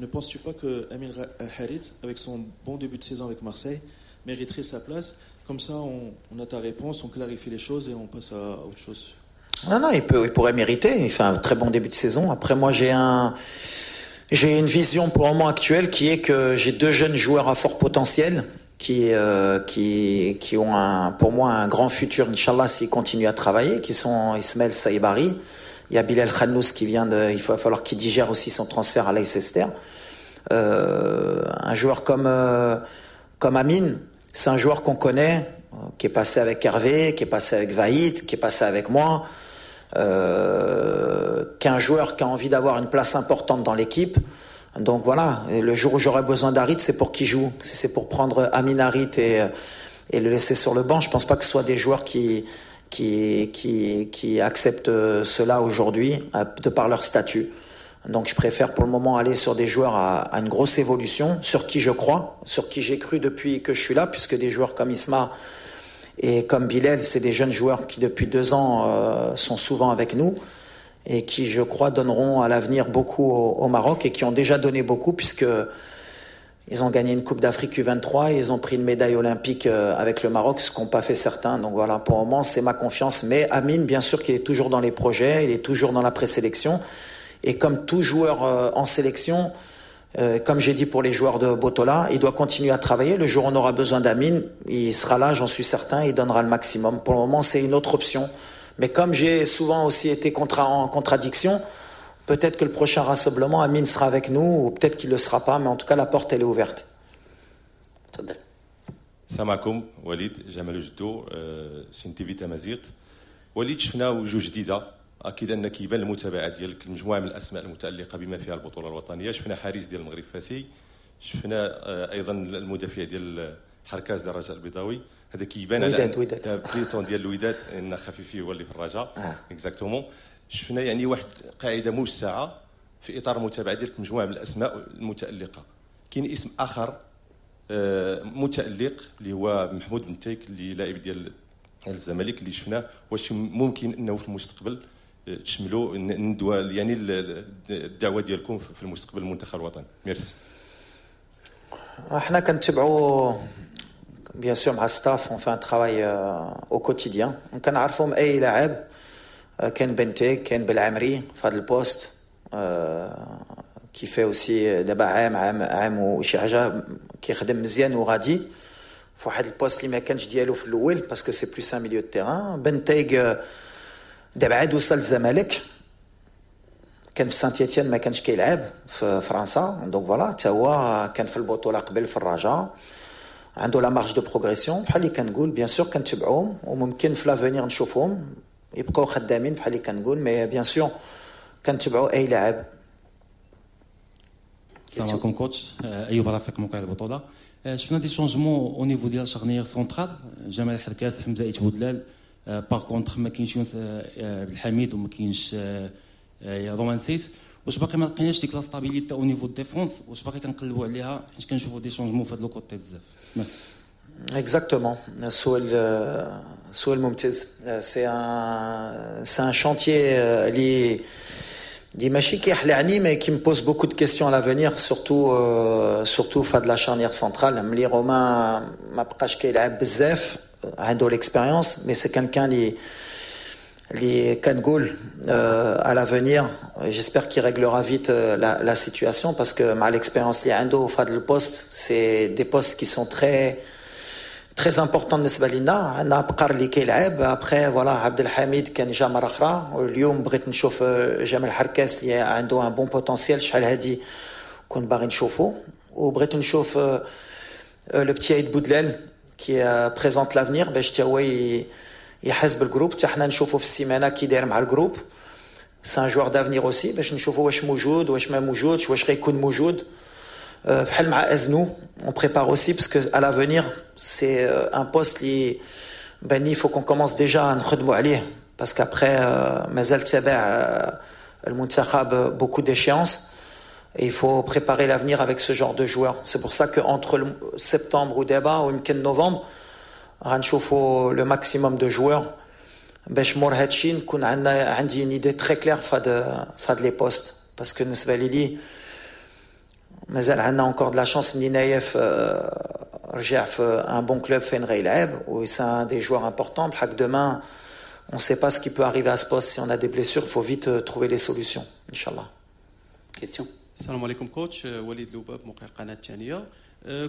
ne penses-tu pas que Amine Harit, avec son bon début de saison avec Marseille, mériterait sa place? Comme ça, on a ta réponse, on clarifie les choses et on passe à autre chose. Non, non, il pourrait mériter. Il fait un très bon début de saison. Après, moi, j'ai une vision pour le moment actuelle qui est que j'ai deux jeunes joueurs à fort potentiel qui ont pour moi un grand futur, إن شاء الله, s'ils continuent à travailler, qui sont Ismaël Saïbari. Il y a Bilal Khannous qui vient de, il va falloir qu'il digère aussi son transfert à Leicester. Un joueur comme Amine, c'est un joueur qu'on connaît, qui est passé avec Hervé, qui est passé avec Vahid, qui est passé avec moi, qui est un joueur qui a envie d'avoir une place importante dans l'équipe. Donc voilà, et le jour où j'aurai besoin d'Harit, c'est pour qu'il joue. Si c'est pour prendre Amine Harit et le laisser sur le banc, je pense pas que ce soit des joueurs qui acceptent cela aujourd'hui, de par leur statut. Donc je préfère pour le moment aller sur des joueurs à une grosse évolution, sur qui je crois, sur qui j'ai cru depuis que je suis là, puisque des joueurs comme Isma et comme Bilal, c'est des jeunes joueurs qui depuis 2 ans sont souvent avec nous et qui, je crois, donneront à l'avenir beaucoup au Maroc et qui ont déjà donné beaucoup, puisque ils ont gagné une Coupe d'Afrique U23 et ils ont pris une médaille olympique avec le Maroc, ce qu'ont pas fait certains. Donc voilà, pour le moment, c'est ma confiance. Mais Amine, bien sûr qu'il est toujours dans les projets, il est toujours dans la présélection. Et comme tout joueur en sélection, comme j'ai dit pour les joueurs de Botola, il doit continuer à travailler. Le jour où on aura besoin d'Amine, il sera là, j'en suis certain, il donnera le maximum. Pour le moment, c'est une autre option. Mais comme j'ai souvent aussi été en contradiction, peut-être que le prochain rassemblement, Amine sera avec nous, ou peut-être qu'il ne le sera pas, mais en tout cas, la porte, elle est ouverte. تفضل. السلام عليكم وليد, جمال جدو, chaîne TV تمازيغت. وليد, شفنا وجوه جديده, اكيد ان كيبان المتابعة ديالك المجموعة من الاسماء المتالقه بما فيها البطولة الوطنيه. شفنا حارس ديال المغرب فاسي, شفنا ايضا المدافع ديال حركاز ديال الرجاء البيضاوي. هذا كيبان على وداد وداد. plutôt ديال الوداد, ان خفيفي هو اللي في الرجاء exactement. شفنا يعني واحد قاعدة موسعه في اطار المتابعة ديالك مجموعة من الاسماء المتالقه. كاين اسم اخر متالق اللي هو محمود بنتيك, اللي لاعب ديال الزمالك اللي شفناه. واش ممكن انه في المستقبل تشملوا الندوه, يعني الدعوة ديالكم في المستقبل المنتخب الوطني؟ ميرسي. احنا كنتبعوا bien sûr مع staff, on fait un travail au quotidien. كنعرفهم اي لاعب. كاين بنتيك, كاين بالعمري في هذا ال poste qui fait aussi دابا عام عام عام وشي حاجة كيخدم مزيان وغادي في واحد ال poste اللي ما كانش ديالو في الاول, parce que c'est plus un milieu de terrain. بنتيك دابا عاد وصل الزمالك, كان في سانت ايتيان, ما كانش كيلعب في فرنسا. donc voilà, حتى هو كان في البطولة قبل في الرجاء, عنده la marge de progression. بحال اللي كنقول, bien sûr كنتبعوهم وممكن في l'avenir نشوفهم, يبقاو خدامين بحال اللي كنقول, mais bien sûr كنتبعوا اي لاعب. السلام عليكم coach, ايوب رفيق, موقع البطوله. شفنا des changements au niveau ديال charnière centrale, جمال حركاس, حمزة ايت بودلال. par contre ما كاينش يونس عبد الحميد وما كاينش رومان سايس. واش باقي ما لقيناش ديك la stabilité au niveau défense؟ واش باقي كنقلبوا عليها؟ حيت كنشوفوا des changements في هذا le côté بزاف. merci. Exactement. سؤال ممتاز. C'est un chantier اللي ماشي كيخلعني, mais qui me pose beaucoup de questions à l'avenir, surtout فهاد la charnière centrale. ملي رومان ما بقاش كيلعب بزاف, عنده l'expérience, mais c'est quelqu'un اللي كنقول à l'avenir, j'espère qu'il réglera vite la situation, parce que مع l'expérience اللي عنده في هذا ال poste, c'est des postes qui sont très très important بالنسبة لنا. عندنا بقر اللي كيلعب. après voilà، عبد الحميد كان جا مرة اخرى، واليوم بغيت نشوف جمال حركاس اللي عنده un bon potentiel، شحال هادي كنت باغي نشوفو. وبغيت نشوف le petit ايت بودلال qui présente l'avenir، باش حتى هو يحس بال groupe، حتى حنا نشوفو في السيمانة كي داير مع ال groupe. c'est un joueur d'avenir aussi، باش نشوفو واش موجود، واش ما موجودش، واش غيكون موجود. بحال مع ازنو، on prépare aussi parce que à l'avenir c'est un poste اللي باني faut qu'on commence déjà نخدموا عليه، parce qu'après مازال تابع المنتخب beaucoup d'échéances et il faut préparer l'avenir avec ce genre de joueurs. C'est pour ça qu'entre septembre ودابا ويمكن novembre غنشوفوا le maximum de joueurs، باش مور هادشي نكون عندي une idée très claire في هاد les postes، parce que بالنسبة لي مازال عندنا encore de la chance ملي نايف رجع في un bon club فين غيلعب، و c'est un des joueurs importants. بحال demain on sait pas ce qui peut arriver à ce poste، si on a des blessures faut vite trouver les solutions ان شاء الله. Question. السلام عليكم coach، وليد لوباب، موقع القناة الثانيه.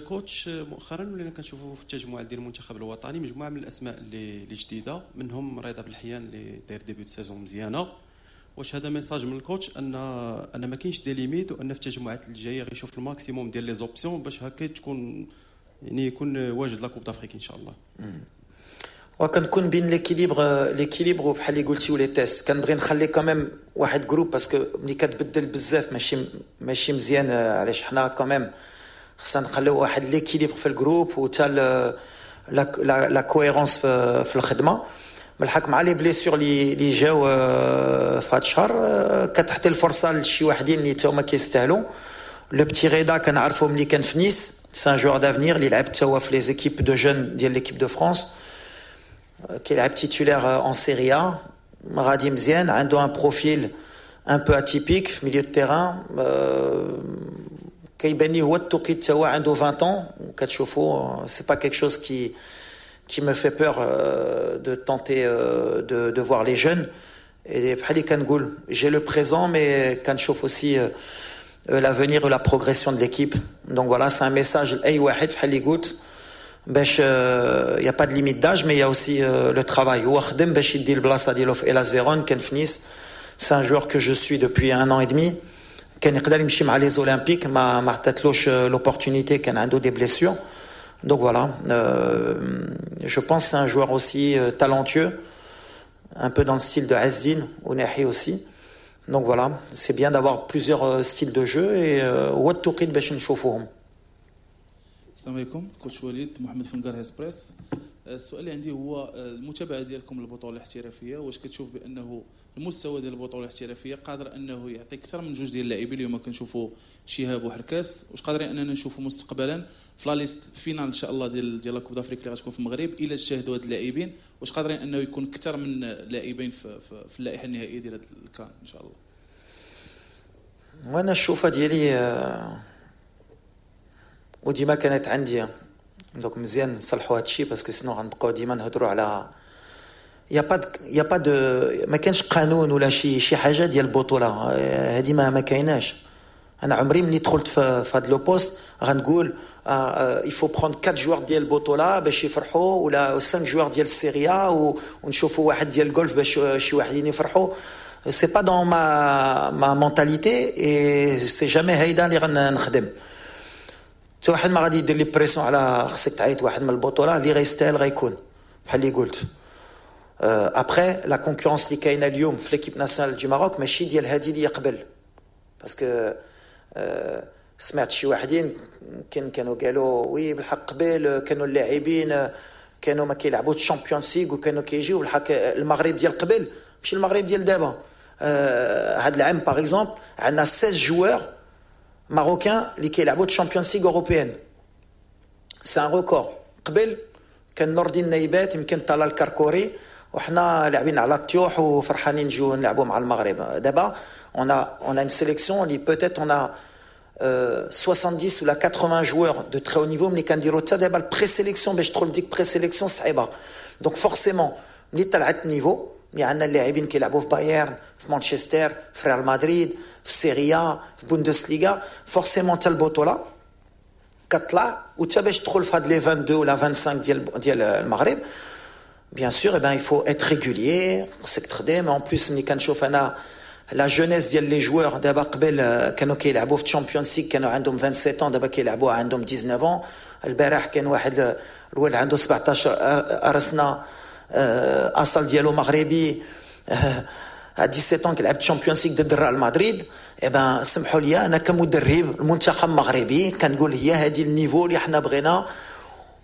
coach، مؤخرا ولينا كنشوفوا في التجمع ديال المنتخب الوطني مجموعة من الاسماء اللي جديده، منهم رضا بالحيان اللي داير début de saison مزيانه. واش هذا message من ال coach ان ما كاينش des limites، وان في التجمعات الجاية غيشوف ال maximum ديال les options باش هكا تكون يعني يكون واجد la Coupe d'Afrique ان شاء الله؟ وكنكون بين l'équilibre بحال اللي قلتي و les tests. كنبغي نخلي quand même واحد groupe، parce que ملي كتبدل بزاف ماشي مزيان. علاش حنا quand même خصنا نخليو واحد l'équilibre في ال groupe وتا la cohérence في الخدمه. بالحق مع les blessures اللي جاو في هذا الشهر، كتعطي الفرصة لشي وحدين اللي تا هما كيستاهلوا. le petit رضا كنعرفو ملي كان في نيس، c'est un joueur d'avenir اللي لعب تا هو في les équipes de jeunes ديال l'équipe de France، كيلعب titulaire en Serie A، غادي مزيان، عنده un profil un peu atypique في milieu de terrain. كيبان لي هو التوقيت، تا هو عنده 20 ans، وكتشوفوا c'est pas quelque chose qui me fait peur de tenter de voir les jeunes. Et بحال اللي كنقول، j'ai le présent mais كنشوف aussi l'avenir et la progression de l'équipe. Donc voilà, c'est un message لأي واحد بحال اللي قلت، باش il y a pas de limite d'âge mais il y a aussi le travail. هو خدم باش يدي البلاصة ديالو في هيلاس فيرون، كان في نيس. c'est un joueur que je suis depuis un an et demi. كان يقدر يمشي مع les Olympiques، ما عطاتلوش l'opportunité، كان عنده des blessures. donc voilà، je pense c'est un joueur aussi talentueux، un peu dans le style de Azzedine Ounahi aussi. Donc voilà، c'est bien d'avoir plusieurs styles de jeu et هو التوقيت باش نشوفوهم. السلام عليكم coach وليد، محمد فنقار، هسبريس. السؤال اللي عندي هو المتابعة ديالكم للبطولة الاحترافيه، واش كتشوف بانه المستوى ديال البطولة الاحترافية قادر انه يعطي اكثر من جوج ديال اللاعبين؟ اليوم كنشوفوا شهاب وحركاس، واش قادرين اننا نشوفوا مستقبلا في la liste finale ان شاء الله ديال la Coupe d'Afrique اللي غتكون في المغرب، الى اجتهدوا هاد اللاعبين، واش قادرين انه يكون اكثر من لاعبين في اللائحة النهائية ديال هذا الكان ان شاء الله؟ وانا الشوفه ديالي وديما كانت عندي، donc مزيان نصلحوا هادشي، parce que sinon غنبقاو ديما نهضروا على y a pas de ما كانش قانون ولا شي حاجة ديال البطوله. هذه ما كايناش. انا عمري ملي دخلت في هاد le poste غنقول il faut prendre 4 joueurs ديال البطولة باش يفرحوا، ولا 5 joueurs ديال ال Serie A ونشوفوا واحد ديال الجولف باش شي واحدين يفرحوا. c'est pas dans ma mentalité et c'est jamais هيدا اللي غنخدم. حتى واحد ما غادي يدير لي pression على خصك تعيط واحد من البطوله. اللي غيستاهل غيكون، بحال اللي قلت. après la concurrence اللي كاينه اليوم في l'équipe nationale du Maroc ماشي ديال هادي اللي قبل، parce que سمعت شي واحدين يمكن كانوا قالوا oui، بالحق قبل كانوا اللاعبين كانوا ما كيلعبوا Champions League وكانوا كيجيو. بالحق المغرب ديال قبل ماشي المغرب ديال دابا. هاد العام par exemple عندنا 16 joueurs marocains اللي كيلعبوا Champions League européenne، c'est un record. قبل كان نور الدين نايبات، يمكن طلال الكركوري، وحنا لاعبين على الطيوح وفرحانين نجيو نلعبوا مع المغرب. دابا on a une sélection اللي peut-être on a 70 ولا 80 joueurs de très haut niveau. ملي كنديروا حتى دابا ال présélection، باش تدخل ديك présélection صعيبه. donc forcément ملي طلعت ال niveau، ملي عندنا اللاعبين كيلعبوا في بايرن، في مانشستر، في ريال مدريد، في Serie A، في بوندسليغا، forcément حتى البطولة كطلع وتا باش تدخل في هاد les 22 ولا 25 ديال المغرب، bien sûr ben il faut être régulier، خصك تخدم. en plus ملي كنشوف انا la jeunesse ديال les joueurs دابا، قبل كانوا كيلعبوا في Champions League كانوا عندهم 27 ans، دابا كيلعبوا عندهم 19. البارح كان واحد الولد عنده 17 سنه، اصل ديالو مغربي، 17 كيلعب Champions League ضد ريال مدريد. eh ben سمحوا لي، انا كمدرب المنتخب المغربي كنقول هي هذه ال niveau اللي حنا بغينا.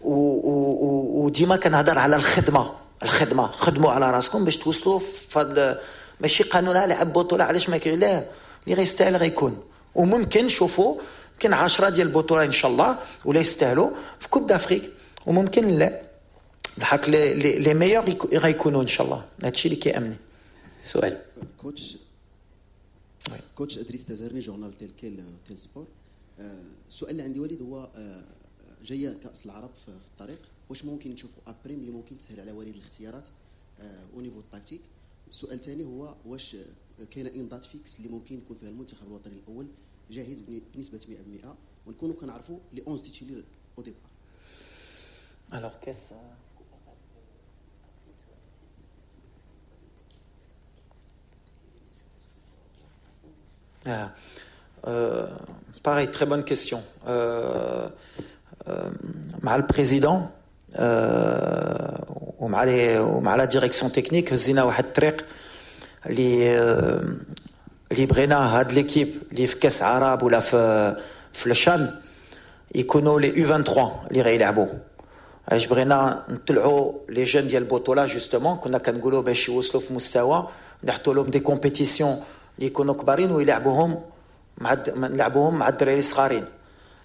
وديما كنهضر على الخدمه، الخدمه، خدموا على راسكم باش توصلوا في. ماشي قانون لعب بطوله علاش ما كاين، لا، اللي غيستاهل غيكون. وممكن نشوفوا يمكن 10 ديال البطولة ان شاء الله ولا يستاهلوا في Coupe d'Afrique، وممكن لا، الحق les meilleurs غيكونوا ان شاء الله. هادشي اللي كيهمني. سؤال. coach، coach ادريس تزرني، journal Tel Quel، Tel Sport. السؤال اللي عندي وليد هو جاية كاس العرب في الطريق، واش ممكن نشوفوا A prime اللي ممكن تسهل على وليد الاختيارات au niveau tactique؟ السؤال الثاني هو واش كاينه une date fixe اللي ممكن يكون فيها المنتخب الوطني الاول جاهز بنسبة 100% ونكونوا كنعرفوا les 11 titulaires au départ؟ Alors qu'est-ce Ah. Pareil, très bonne question. مع ال président ومع la direction technique هزينا واحد الطريق اللي بغينا هاد l'équipe اللي في كاس عرب ولا في الشان يكونوا les U23 اللي غيلعبوا. علاش بغينا نطلعوا les jeunes ديال البطوله؟ justement كنا كنقولوا باش يوصلوا في مستوى نحطوا لهم des compétitions اللي يكونوا كبارين ويلعبوهم مع نلعبوهم مع الدراري الصغارين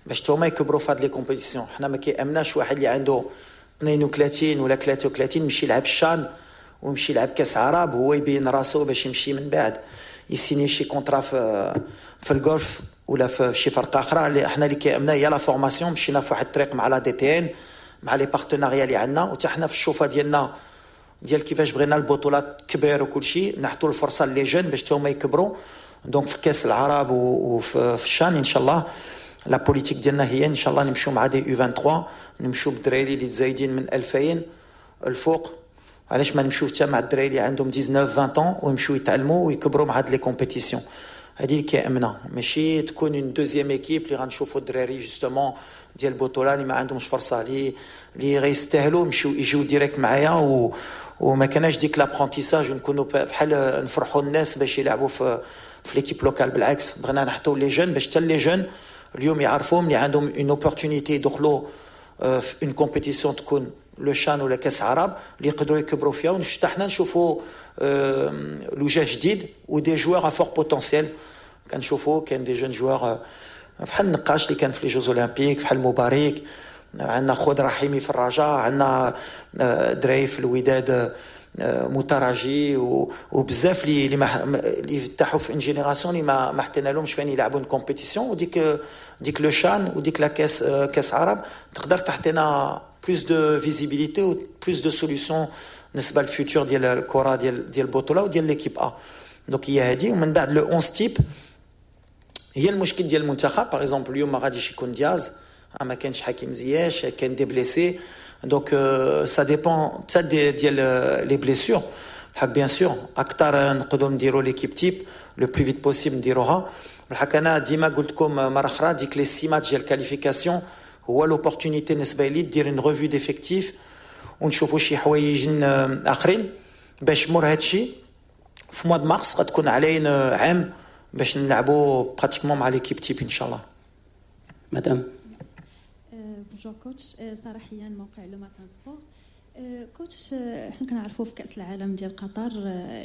باش هما يكبروا في هاد les compétitions. حنا ما كيهمناش واحد اللي عنده 32 ولا 33 يمشي يلعب الشان ويمشي يلعب كاس عرب، هو يبين راسو باش يمشي من بعد يسيني شي contrat في ال Golfe ولا في شي فرقه اخرى. اللي احنا اللي كيهمنا هي la formation. مشينا في واحد الطريق مع la DTN، مع les partenariats اللي عندنا، وحتى حنا في الشوفه ديالنا ديال كيفاش بغينا البطولات كبير وكل شيء، نحطوا الفرصة les jeunes باش هما يكبروا. donc في كاس العرب وفي الشان ان شاء الله la politique ديالنا هي ان شاء الله نمشيو مع des U23، نمشيو بالدراري اللي تزايدين من 2000 الفوق. علاش ما نمشيو حتى مع الدراري اللي عندهم 19 20 ويمشيو يتعلموا ويكبروا مع هاد les compétitions؟ هذه اللي كيهمنا، ماشي تكون une deuxième équipe اللي غنشوفوا الدراري justement ديال البطولة اللي ما عندهمش فرصه، اللي غيستاهلوا يمشيو يجيو direct معايا وما كانش ديك l'apprentissage ونكونوا بحال نفرحوا الناس باش يلعبوا في l'équipe locale. بالعكس، بغينا نحطوا les jeunes باش حتى les jeunes اليوم يعرفوا ملي عندهم une opportunité يدخلوا في une compétition تكون le CHAN ولا كاس عرب اللي يقدروا يكبروا فيها، ونشتا حنا نشوفوا الوجه جديد و des joueurs à fort potentiel. كنشوفوا كاين des jeunes joueurs بحال النقاش اللي كان في les Jeux Olympiques، بحال مبارك، عندنا خضر رحيمي في الرجاء، عندنا دراري في الوداد متراجي وبزاف اللي ما اللي فتحوا في une génération اللي ما حطينا لهمش فين يلعبوا une compétition. وديك le CHAN وديك la كاس عرب تقدر تعطينا plus de visibilité و plus de solutions بالنسبة لل futur ديال الكره ديال البطولة وديال l'équipe A. donc هي هذه. ومن بعد le 11 type هي المشكل ديال المنتخب. par exemple اليوم ما غاديش يكون دياز، ما كانش حكيم زياش، كان des blessés، donc ça dépend حتى ديال les blessures. الحق bien sûr اكثر نقدروا نديروا l'équipe type le plus vite possible نديروها. الحق انا ديما قلت لكم مرة اخرى، ديك les 6 ماتش ديال qualification هو l'opportunité بالنسبة لي دير une revue d'effectif ونشوفوا شي حوايج اخرين باش مور هادشي في mois de mars غتكون علينا عام باش نلعبوا pratiquement مع l'équipe type ان شاء الله. مدام. bonjour coach، ساره حيان، موقع Le Matin Sport. coach، حنا كنعرفوا في كاس العالم ديال قطر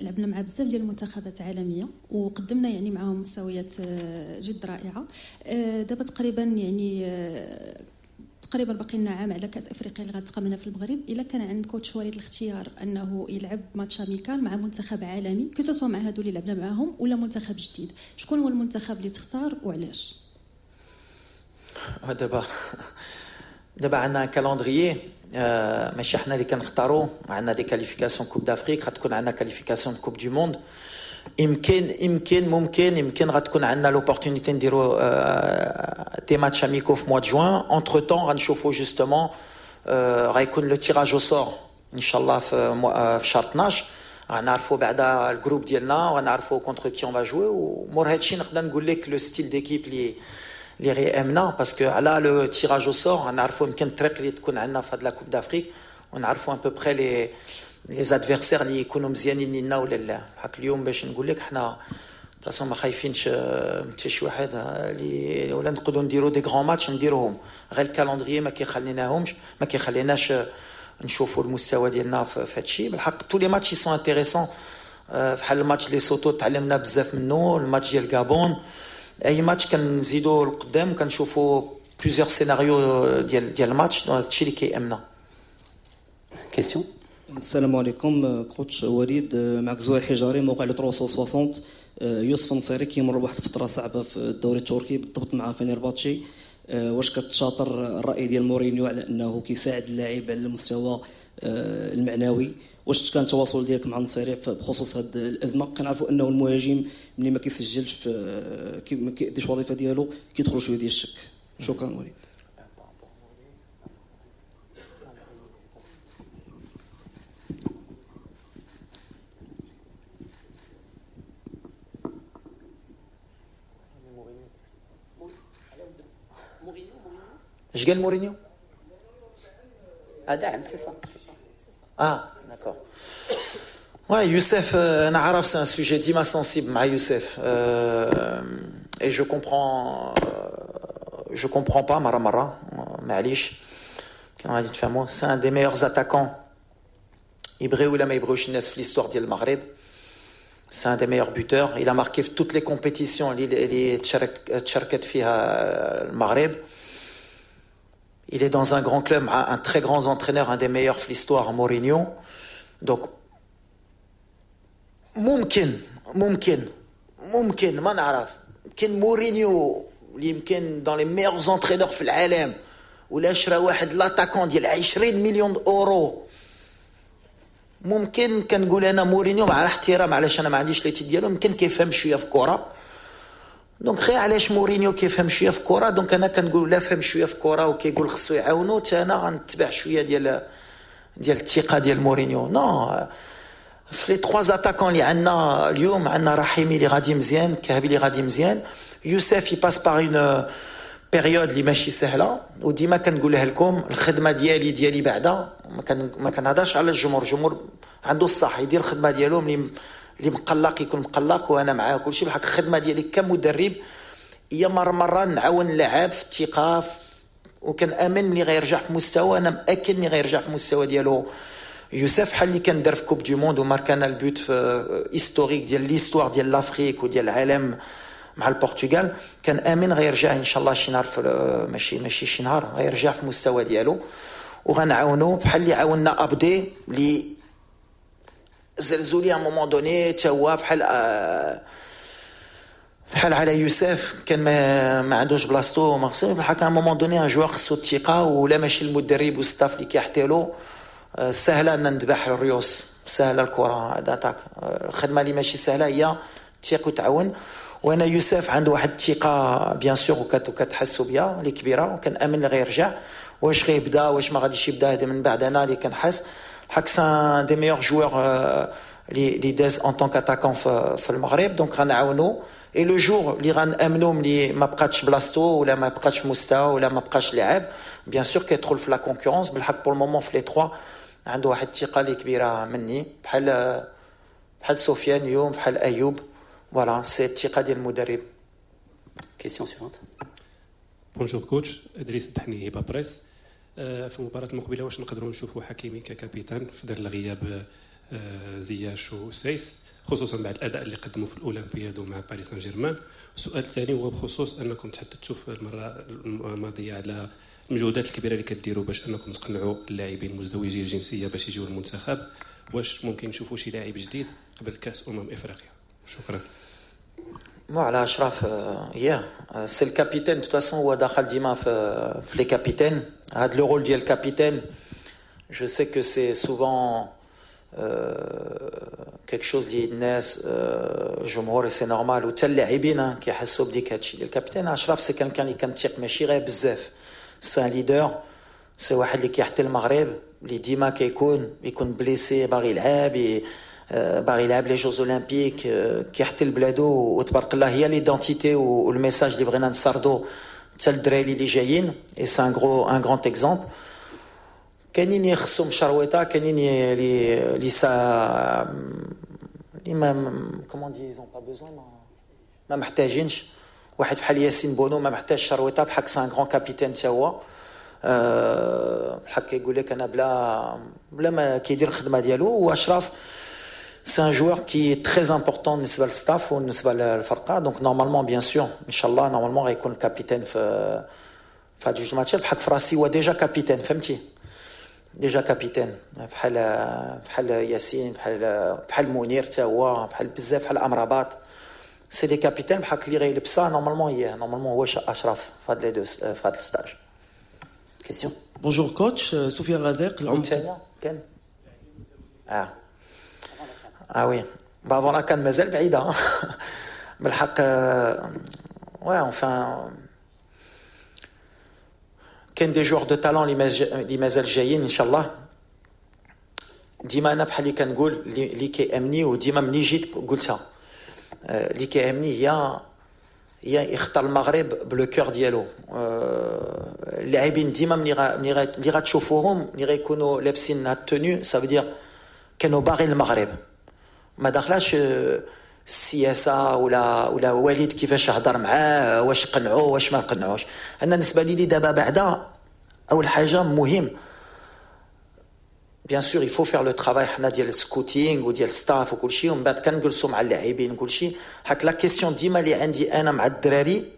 لعبنا مع بزاف ديال المنتخبات عالمية وقدمنا يعني معاهم مستويات جد رائعه. دابا تقريبا يعني تقريبا باقي لنا عام على كاس افريقيا اللي غتقام هنا في المغرب. الا كان عند coach وليد الاختيار انه يلعب match amical مع منتخب عالمي، que ce soit مع هادو اللي لعبنا معاهم ولا منتخب جديد، شكون هو المنتخب اللي تختار وعلاش؟ دابا عندنا calendrier، ماشي حنا اللي كنختاروا. عندنا des qualifications Coupe d'Afrique، غتكون عندنا qualification Coupe du Monde. يمكن ممكن يمكن غتكون عندنا l'opportunité نديرو des matchs amicaux في mois de juin. entre-temps غنشوفو justement غيكون le tirage au sort ان شاء الله في شهر 12، غنعرفوا بعدا ال groupe ديالنا وغنعرفوا contre qui on va jouer. ومور هادشي نقدر نقول لك le style d'équipe اللي غيامنا، parce que على le tirage au sort غنعرفوا يمكن الطريق اللي تكون عندنا في هاد la Coupe d'Afrique، ونعرفوا à peu près les adversaires اللي يكونوا مزيانين لينا ولا لا. حق اليوم باش نقول لك حنا de toute façon ما خايفينش حتى شي واحد اللي ولا نقدروا نديروا des grands matchs نديروهم، غير ال calendrier ما كيخليناهمش، ما كيخليناش نشوفوا المستوى ديالنا في هادشي. بالحق tous les matchs sont intéressants، فحال الماتش ليسوتو تعلمنا بزاف منه، الماتش ديال غابون، اي ماتش كنزيدوا لقدام كنشوفوا plusieurs scénarios ديال الماتش، هادشي اللي كيامنا. question. السلام عليكم coach وليد، معك زهير حجاري موقع Le 360. يوسف نصيري كيمر بواحد الفترة صعبة في الدوري التركي بالضبط مع فنيرباتشي، واش كتشاطر الراي ديال مورينيو على انه كيساعد اللاعب على المستوى المعنوي؟ واش كان التواصل ديالك مع النصيري بخصوص هذه الازمة؟ كنعرفوا انه المهاجم ملي ما كيسجلش ما كيأديش الوظيفة ديالو كيدخل شوية ديال الشك. شكرا وليد. اش قال مورينيو؟ دعم c'est ça. اه d'accord. Ouais, Youssef, انا عارف c'est un sujet ديما sensible مع يوسف، et je comprends pas مرة مرة، معليش كان غادي تفهموا. c'est un des meilleurs attaquants يبغيو ولا ما يبغيوش الناس في l'histoire ديال المغرب. C'est un des meilleurs buteurs. Il a marqué في toutes les compétitions اللي تشاركت فيها المغرب. Il est dans un grand club, un très grand entraîneur, un des meilleurs de l'histoire, Mourinho. Donc, ممكن ممكن ممكن ما نعرف، يمكن مورينيو اللي يمكن dans les meilleurs entraîneurs في العالم ولا شرا واحد l'attaquant ديال 20 مليون اورو، ممكن كنقول انا مورينيو مع الاحترام علاش انا ما عنديش les titres ديالو، يمكن كيفهم شوية في الكره. donc غير علاش مورينيو كيفهم شوية في الكره، donc انا كنقول لا فهم شوية في الكره وكيقول خصو يعاونو، حتى انا غنتبع شوية ديال الثقة ديال مورينيو. non، في les 3 attaquants اللي عندنا اليوم، عندنا رحيمي اللي غادي مزيان، كهبي اللي غادي مزيان، يوسف il passe par une période اللي ماشي سهلة. وديما كنقولها لكم الخدمة ديالي بعدا ما كنهضرش على الجمهور، الجمهور عنده الصح يدير الخدمة ديالو، اللي مقلق يكون مقلق وانا معاه كلشي. بالحق الخدمة ديالي كمدرب هي مرة نعاون اللاعب في الثقة، وكنامن ملي غيرجع في مستوى، انا مأكد ملي غيرجع في مستوى ديالو يوسف، بحال اللي كان دار في Coupe du Monde وماركانا ال but في historique ديال l'histoire ديال l'Afrique وديال العالم مع البرتغال. كان امن غيرجع ان شاء الله شي نهار، ماشي شي نهار، غيرجع في مستوى ديالو وغنعاونو بحال اللي عاوننا ابدي اللي زلزولي à un moment donné، تا هو بحال على يوسف كان ما عندوش بلاصتو ما خصو. بالحق à un moment donné un joueur خصو الثقة، ولا ماشي المدرب وال staff اللي كيحتالو. سهلة ان نذبح الريوس، سهلة الكره d'attaque. الخدمة اللي ماشي سهلة هي الثقة وتعاون. وانا يوسف عنده واحد الثقة bien sûr وكتحسوا بها اللي كبيرة، وكنامن اللي غيرجع. واش غيبدا واش ما غاديش يبدا هذا من بعد انا اللي كنحس. الحق c'est un des meilleurs joueurs اللي داز en tant qu'attaquant في المغرب، donc غنعاونو. et le jour اللي غنامنو ملي ما بقاتش بلاصتو ولا ما بقاتش في مستوى ولا ما بقاش لاعب، bien sûr كيدخل في la concurrence. بالحق pour le moment في les 3 عنده واحد الثقة اللي كبيرة مني، بحال سفيان اليوم، بحال ايوب. voilà c'est الثقة ديال المدرب. question suivante. bonjour coach، ادريس الدحني هبه بريس. في المباراة المقبلة واش نقدروا نشوفوا حكيمي ك capitaine في ظل غياب زياش وسايس، خصوصا بعد الاداء اللي قدموا في الاولمبياد ومع باريس سان جيرمان؟ السؤال الثاني هو بخصوص انكم تحدثتوا في المرة الماضية على المجهودات الكبيرة اللي كديروا باش انكم تقنعوا اللاعبين المزدوجي الجنسية باش يجيو للمنتخب، واش ممكن نشوفوا شي لاعب جديد قبل كاس افريقيا؟ شكرا. مو على اشرف، يا c'est ال capitaine de toute façon، هو دخل ديما في les capitaines. هاد le rôle ديال ال capitaine je sais que c'est souvent quelque chose اللي الناس، الجمهور، c'est normal، وحتى اللاعبين كيحسوا بديك هادشي ديال ال capitaine. اشرف c'est quelqu'un اللي كنتيق ماشي غير بزاف، c'est un leader، c'est واحد اللي كيحتل المغرب، اللي ديما كيكون يكون blessé باغي يلعب، باغي يلعب les Jeux Olympiques، كيحتل بلادو، وتبارك الله هي l'identité وال message اللي بغينا نسردو حتى الدراري اللي جايين، et c'est un grand exemple. كاينين يخصهم شرويطه، كاينين اللي ça اللي ما comment dire ils ont pas besoin، ما محتاجينش. واحد بحال ياسين بونو ما محتاج شرويطه، بحال c'est un grand capitaine تا هو، بحال كيقول لك انا بلا ما كيدير الخدمة ديالو. واشرف c'est un joueur qui est très important بالنسبة لل staff وبالنسبة للفرقه، donc normalement bien sûr ان شاء الله normalement غيكون ال capitaine في هاد جوج ماتشات. بحال فراسي هو déjà capitaine، فهمتي، déjà capitaine بحال ياسين، بحال منير حتى هو، بحال بزاف، بحال امرابات، c'est des capitaines. بحال اللي غيلبسها normalement هي normalement هو اشرف في هاد les deux في هاد ال stage. Question. Bonjour coach، سفيان رزاق. الثانية كان اه oui bah voilà كان مازال بعيدة بالحق. ouais enfin كاين des joueurs de talent اللي مازال جايين ان شاء الله. ديما انا بحال اللي كنقول اللي كيامني، وديما ملي جيت قلتها، اللي كيهمني هي يختار المغرب ب le cœur ديالو. اللاعبين ديما ملي اللي غتشوفوهم ملي غيكونوا لابسين هاد ال tenue، ça veut dire كانوا باغيين المغرب، ما دخلاش السياسة ولا وليد كيفاش هضر معاه، واش قنعوه واش ما قنعوش. انا بالنسبة لي دابا بعدا اول حاجة مهم bien sûr il faut faire le travail حنا ديال ال scouting وديال staff وكل شيء، ومن بعد كنجلسوا مع اللاعبين وكل شيء. هاك la question ديما اللي عندي انا مع الدراري،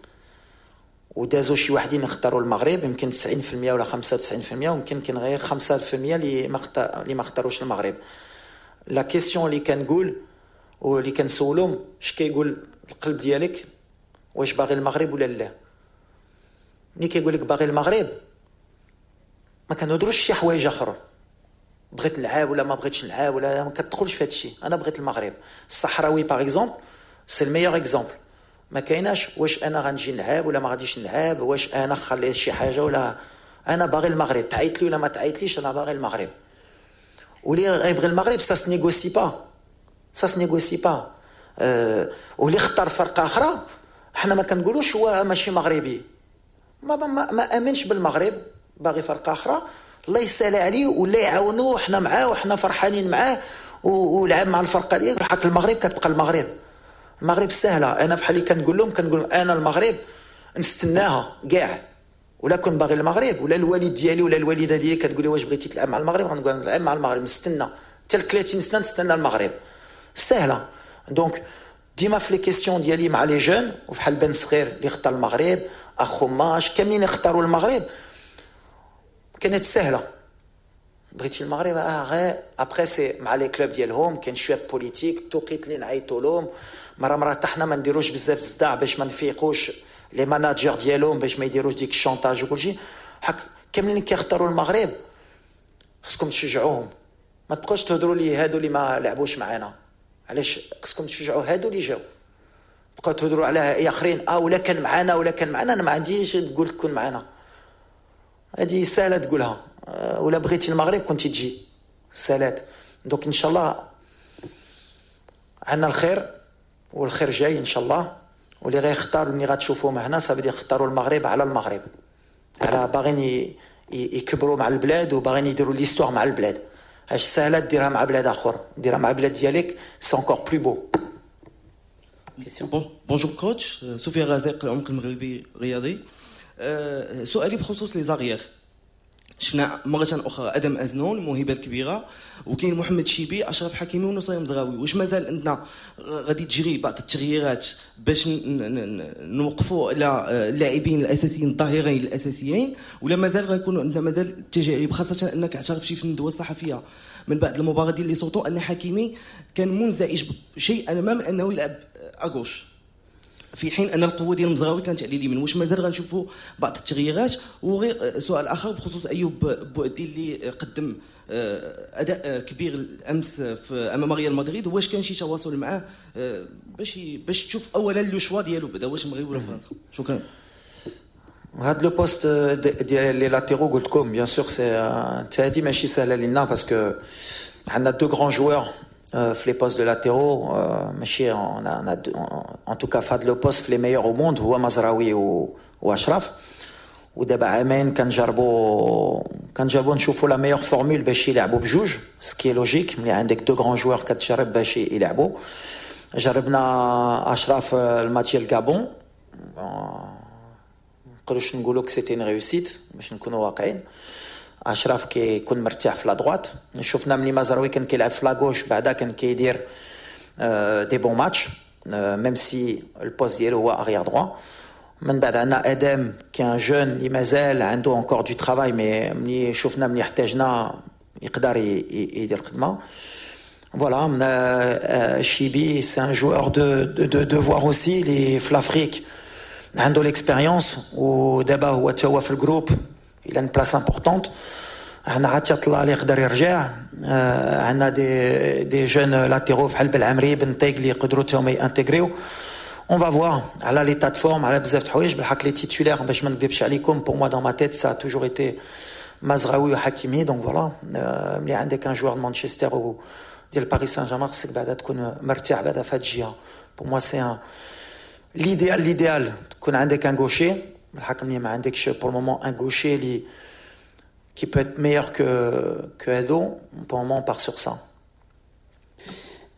ودازوا شي واحدين اختاروا المغرب يمكن 90% ولا 95%، ويمكن كاين غير 5% اللي ما اختاروش المغرب. la question اللي كنقول واللي كنسولهم، اش كيقول القلب ديالك؟ واش باغي المغرب ولا لا؟ ملي كيقول لك باغي المغرب ما كنهضروش شي حوايج اخرى، بغيت نلعب ولا ما بغيتش نلعب ولا ما كتدخلش في هادشي. انا بغيت المغرب. الصحراوي par exemple c'est le meilleur exemple، ما كايناش واش انا غنجي نلعب ولا ما غاديش نلعب، واش انا خليت شي حاجة ولا، انا باغي المغرب، تعيط لي ولا ما تعيطليش، انا باغي المغرب. واللي غيبغي المغرب ça se négocie pas، ça se négocie pas. واللي اختار فرقه اخرى حنا ما كنقولوش هو ماشي مغربي، ما امنش بالمغرب، باغي فرقه اخرى، الله يسهل عليه ولا يعاونوه، حنا معاه وحنا فرحانين معاه ولعب مع الفرقة ديالك. الحق المغرب كتبقى المغرب، المغرب سهلة. انا بحال اللي كنقول لهم، كنقول انا المغرب نستناها كاع، ولا كنت باغي المغرب ولا الوالد ديالي ولا الوالدة ديالي كتقول لي واش بغيتي تلعب مع المغرب، غنقول نلعب مع المغرب، نستنى حتى 30 سنة نستنى المغرب، سهلة. donc ديما في les questions ديالي مع les jeunes، وفحال بن صغير اللي اختار المغرب، اخوماش كاملين اختاروا المغرب، كانت سهلة. بغيتي المغرب غير après c'est مع les clubs ديالهم كاين شوية politique، التوقيت اللي نعيطوا لهم مرة مرة، حتى حنا ما نديروش بزاف الصداع باش ما نفيقوش les managers ديالهم، باش ما يديروش ديك ال chantage وكلشي. حق كاملين كيختاروا المغرب خصكم تشجعوهم، ما تبقاوش تهضروا لي هادو اللي ما لعبوش معانا، علاش خصكم تشجعوا هادو اللي جاو؟ بقاو تهضروا على اخرين ولا كان معانا ولا كان معانا، انا ما عنديش تقول كون معانا، هذه سهلة تقولها. ولا بغيتي المغرب كنتي تجي سالات. donc ان شاء الله عندنا الخير والخير جاي ان شاء الله. واللي غيختار ملي غتشوفوهم هنا ça veut dire اختاروا المغرب على المغرب، على باغيين يكبروا مع البلاد وباغيين يديروا l'histoire مع البلاد. اش سهلة ديرها مع بلاد اخر، ديرها مع بلاد ديالك c'est encore plus beau. Bonjour coach، سفيان رزاق، العمق المغربي الرياضي. سؤالي بخصوص les arrières، شفنا مرة أخرى أدم أزنون الموهبة الكبيرة، وكاين محمد شيبي، أشرف حكيمي ونصير مزراوي. واش مازال عندنا غادي تجري بعض التغييرات باش نوقفوا على اللاعبين الأساسيين الظاهرين الأساسيين، ولا مازال غيكونوا عندنا مازال التجارب؟ خاصة أنك اعترفتي في الندوة الصحفية من بعد المباراة ديال ليسوتو أن حكيمي كان منزعج شيئا ما من أنه يلعب à gauche، في حين ان القوة ديال المزراوي كانت على اليمين. واش مازال غنشوفوا بعض التغييرات؟ وغير سؤال اخر بخصوص ايوب بوعدي اللي قدم اداء كبير الامس في امام ريال مدريد، واش كان شي تواصل معاه باش تشوف اولا le choix ديالو بدا واش المغرب ولا فرنسا؟ شكرا. هاد le poste ديال les latéraux قلت لكم bien sûr c'est هادي ماشي سهلة لينا parce que عندنا deux grands joueurs في les postes de latéraux، ماشي en tout cas في هاد le poste في les meilleurs au monde هو مزراوي واشرف. ودابا عامين كنجربوا نشوفوا la meilleure formule باش يلعبوا بجوج، ce qui est logique ملي عندك deux grands joueurs كتجرب باش يلعبوا. جربنا اشرف الماتش ديال الكابون، نقدروش نقولوا que c'était une réussite باش نكونوا واقعيين. اشرف كيكون مرتاح في la droite، شفنا ملي مزراوي كان كيلعب في la gauche بعدا كان كيدير des bons matchs même si ال poste ديالو هو arrière droit. من بعد عندنا ادم qui est un jeune اللي مازال عنده encore du travail، mais ملي شفنا ملي احتاجنا يقدر يدير الخدمة. voilà شيبي c'est un joueur de devoir aussi اللي في l'Afrique عنده l'expérience، ودابا هو تا هو في ال groupe il a une place importante. عندنا عطية الله اللي يقدر يرجع، عندنا des jeunes latéraux بحال بالعمري بن طيق اللي يقدروا تا هما يانتيغريو. On va voir على l'état de forme على بزاف د الحوايج. بالحق les titulaires باش ما نكذبش عليكم pour moi dans ma tête ça a toujours été مزراوي وحكيمي. donc voilà ملي عندك un joueur de مانشستر و ديال باريس سان جيرمان خصك بعدا تكون مرتاح بعدا في هاد الجهة. pour moi c'est un l'idéal تكون عندك un gaucher. بالحق ملي ما عندكش pour le moment un gaucher اللي qui peut être meilleur que هادو، pour le moment on part sur ça.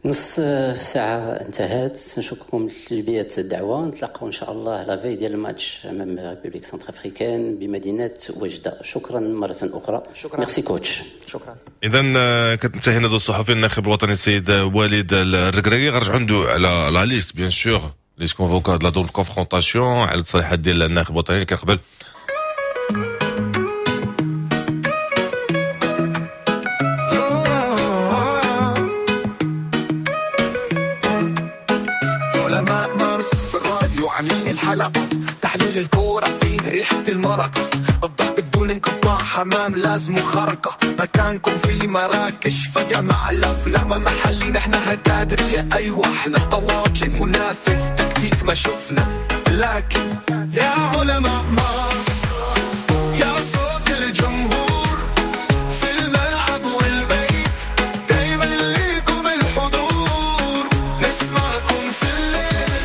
نص ساعة انتهت، نشكركم لتلبية الدعوة، نتلاقاو إن شاء الله la veille ديال الماتش أمام République centrafricaine بمدينة وجدة. شكرا مرة أخرى. شكرا. merci coach. شكرا. إذا كتنتهي الندوة الصحفية الناخب الوطني السيد وليد الركراكي. غنرجعوا عنده على la liste bien sûr les convoqués la double confrontation، على التصريحات ديال الناخب الوطني اللي كان قبل. الحلقة تحليل الكورة فيه ريحة المرق، الضحك بدون انقطاع، حمام لازم خرقة، مكانكم في مراكش فجمع الأفلام محلي، نحن هكادرية أيوة احنا طواجن منافس تكتيك ما شفنا، لكن يا علماء مارس يا صوت الجمهور في الملعب والبيت دايما ليكم الحضور، نسمعكم في الليل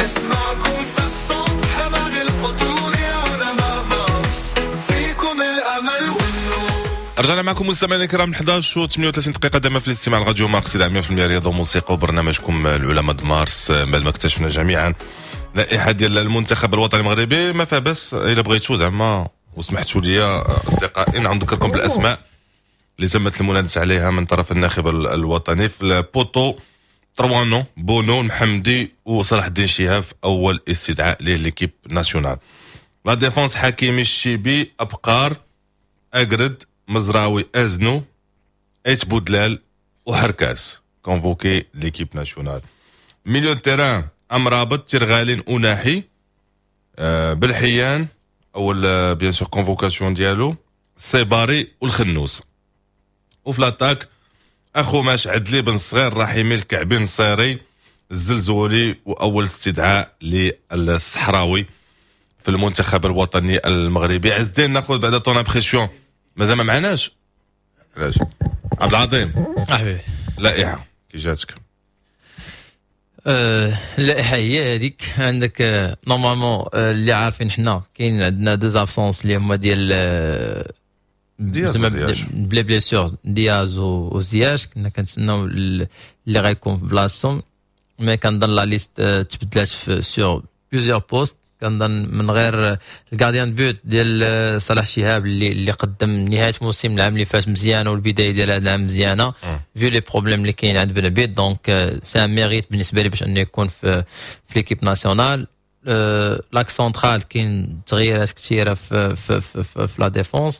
نسمعكم في الصبح بعد الفطور، يا علماء مارس فيكم الأمل والنور. رجعنا معكم مستمعينا الكرام 11:38 دقيقة دائما في الاستماع لراديو مارس 100% رياضة وموسيقى وبرنامجكم العلماء مارس. بعد ما اكتشفنا جميعا لائحة ديال المنتخب الوطني المغربي، ما فيها بس الا بغيتو زعما وسمحتوا لي اصدقائي نذكركم بالاسماء اللي تمت المناداه عليها من طرف الناخب الوطني. في ال poteau تروانو، بونو، محمدي وصلاح الدين شهاب اول استدعاء l'équipe nationale. la défense حكيمي، الشيبي، ابقار، اقرد، مزراوي، ازنو، ايت بودلال وحركاس convoqués l'équipe nationale. milieu terrain امرابط، ترغالين، اوناحي، بالحيان اول bien sûr convocation ديالو، السيباري والخنوس. وفي l'attaque اخو ماش، عدلي، بن صغير، رحيمي، الكعبي، نصيري، الزلزولي، واول استدعاء للصحراوي في المنتخب الوطني المغربي. عز الدين ناخذ بعد ton impression، مازال ما معناش علاش عبد العظيم حبيبي لائحة كي جاتك؟ اللائحة هي هذيك عندك normalement اللي عارفين حنا كاين عندنا deux absences اللي هما ديال زعما بلي blessures دياز وزياش، كنا كنتسناو اللي غيكون في بلاصتهم، mais كنظن la liste تبدلات في sur plusieurs postes. كنظن من غير ال gardien de but ديال صلاح شهاب اللي قدم نهاية موسم العام اللي فات مزيانه والبداية ديال هذا العام مزيانه vu les problèmes اللي كاين عند بن عبيد، donc c'est un mérite بالنسبة لي باش انه يكون في l'équipe nationale. l'axe central كاين تغييرات كثيرة في في في, في, في la défense.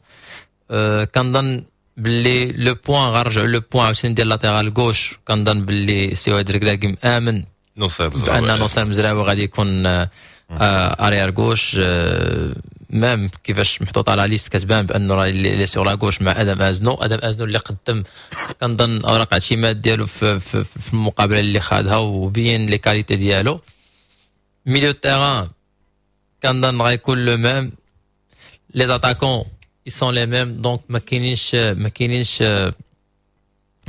كنظن باللي le point غنرجعوا le point عاوتاني ديال latéral gauche، كنظن باللي سي وليد الركراكي مامن نصير مزراوي، بان نصير مزراوي غادي يكون arrière gauche. même كيفاش محطوط على liste كتبان بانه راه il est sur la gauche مع ادم ازنو. ادم ازنو اللي قدم كنظن اوراق اعتماد ديالو في المقابلة اللي خادها وبين les qualités ديالو. milieu terrain كنظن غيكون le même، les attaquants ils sont les mêmes، donc ما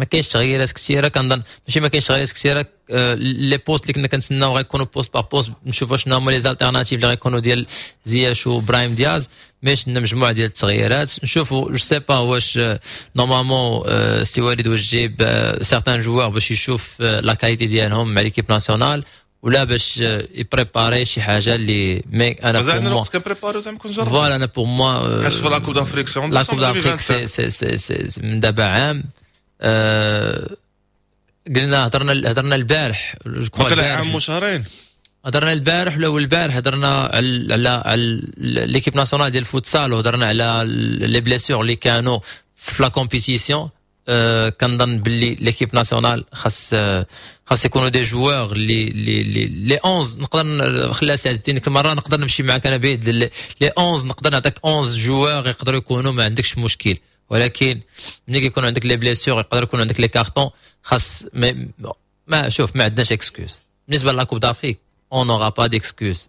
كاينش تغييرات كثيره. كنظن ماشي ما كاينش تغييرات كثيره، les postes اللي كنا كنتسناو غيكونوا poste par poste، نشوفوا شنو هما les alternatives اللي غيكونوا ديال زياش وابراهيم دياز. mais شفنا مجموعة ديال التغييرات، نشوفوا، je sais pas واش normalement سي وليد واش جايب certains joueurs باش يشوف la qualité ديالهم مع l'équipe nationale ولا باش ي préparer شي حاجة اللي mais انا مازال عندنا الوقت كن préparer زعما كنجرب. voilà، انا pour moi حيت في la Coupe d'Afrique c'est la Coupe d'Afrique c'est من دابا عام. قلنا هضرنا البارح. باقي عام وشهرين. هضرنا البارح ولا البارح، هضرنا على l'équipe nationale ديال الفوتسال وهضرنا على les blessures اللي كانوا في la compétition. كنظن باللي l'équipe nationale خاص يكونوا des joueurs اللي les 11. نقدر خليها سي عز الدين، كل مرة نقدر نمشي معاك انا بعيد. les 11 نقدر نعطيك 11 joueurs يقدروا يكونوا، ما عندكش مشكل، ولكن ملي كيكون عندك les blessures، يقدر يكون عندك les cartons، خاص ما شوف، ما عندناش excuses بالنسبة la Coupe d'Afrique، on n'aura pas d'excuses.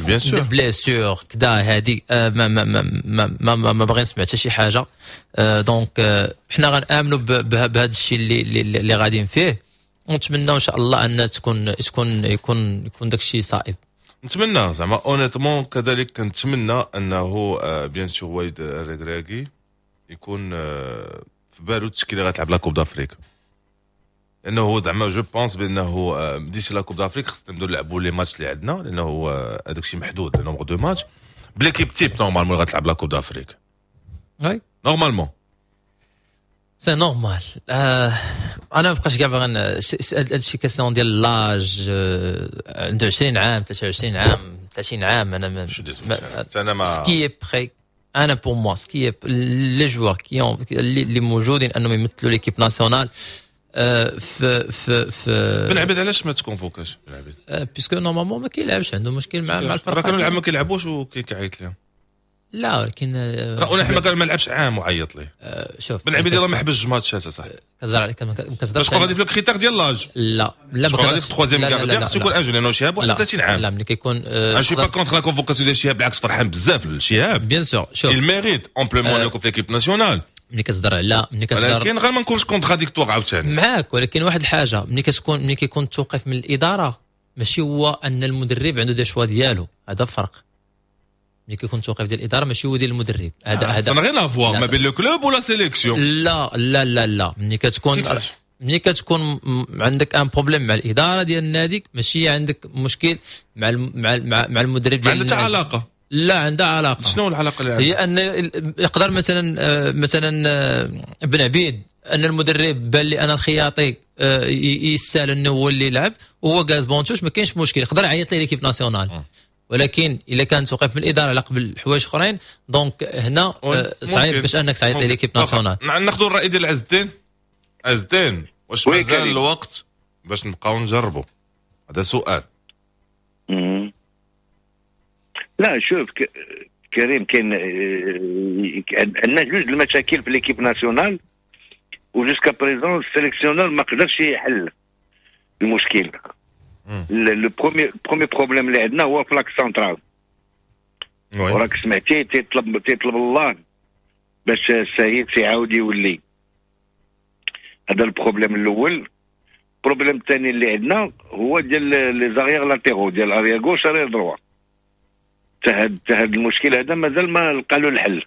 bien sûr. blessure كدا هادي ما باغي نسمع حتى شي حاجه. donc حنا غنامنوا بهذا الشيء اللي غاديين فيه، ونتمنى ان شاء الله ان تكون تكون يكون يكون داك الشيء صائب. نتمنى زعما honnêtement، كذلك كنتمنى انه bien sûr وليد الركراكي يكون في بالو التشكيلة غتلعب la Coupe d'Afrique، لانه هو زعما je pense بانه d'ici la Coupe d'Afrique خصنا نبداو نلعبوا les matchs اللي عندنا، لانه هذاك الشيء محدود، le nombre de matchs ب l'équipe type normalement غتلعب la Coupe d'Afrique. oui. normalement. c'est normal. انا ما بقاش كاع باغي هادشي، question ديال l'âge، عنده 20 عام، 23 عام، 30 عام، انا ما انا ما ce qui est prêt، انا pour moi ce qui est les joueurs qui اللي موجودين انهم يمثلوا l'équipe nationale في بن عبيد علاش ما ت convoqua ش بن عبيد؟ puisque normalement ما كيلعبش، عنده مشكل مع الفرقه. راه كانوا العام ما كيلعبوش وكيعيط لهم. لا ولكن راه اوناحي ما لعبش عام وعيط ليه. شوف. بن عبيد يلاه ما حبسش ماتشات صح. كتهضر عليك، ما كتهضرش. باش غادي في ال critère ديال l'âge. لا لا. ما غادي في troisième gardien خصو يكون un jeune، لانه شهاب 31 عام. لا، ملي كيكون انا je suis pas contre la convocation ديال شهاب، بالعكس فرحان بزاف لشهاب. bien sûr، شوف. il mérite amplement يكون في l'équipe nationale. ملي كتهضر على ملي كتهضر ولكن غير ما نكونش contradictoire عاوتاني. معاك، ولكن واحد الحاجه، ملي كيكون التوقيف من الادارة ماشي هو ان المدرب عنده des choix ديالو، هذا فرق. ملي كيكون التوقيف ديال الادارة ماشي هو ديال المدرب هذا. هذا ça n'a rien à voir ما بين le club ولا sélection. لا لا لا لا، ملي كتكون عندك un problème مع الادارة ديال النادي ماشي عندك مشكل مع المدرب. ما عندها علاقه. لا، عندها علاقه. شنو العلاقة اللي هي ان يقدر مثلا بن عبيد ان المدرب بان لي انا الخياطي يستاهل انه هو اللي يلعب وهو جالس banc de touche، ما كاينش مشكل، يقدر يعيط لي l'équipe nationale. ولكن الا كان توقف من الادارة على قبل حوايج اخرين، donc هنا صعيب باش انك تعيط لي l'équipe nationale. ناخذ الراي ديال عز الدين. عز الدين، واش مازال الوقت باش نبقاو نجربوا؟ هذا سؤال. لا شوف كريم، كاين عندنا جوج المشاكل في l'équipe nationale و jusqu'à présent ال sélectionneur ما قدرش يحل المشكل. le premier problème اللي عندنا هو في l'axe central، وراك سمعتي تيطلب الله باش السايس يعاود يولي. هذا ال problème الاول. ال problème الثاني اللي عندنا هو ديال les arrières latéraux، ديال arrière gauche، arrière droit. تهاد المشكل هذا مازال ما لقى له الحل.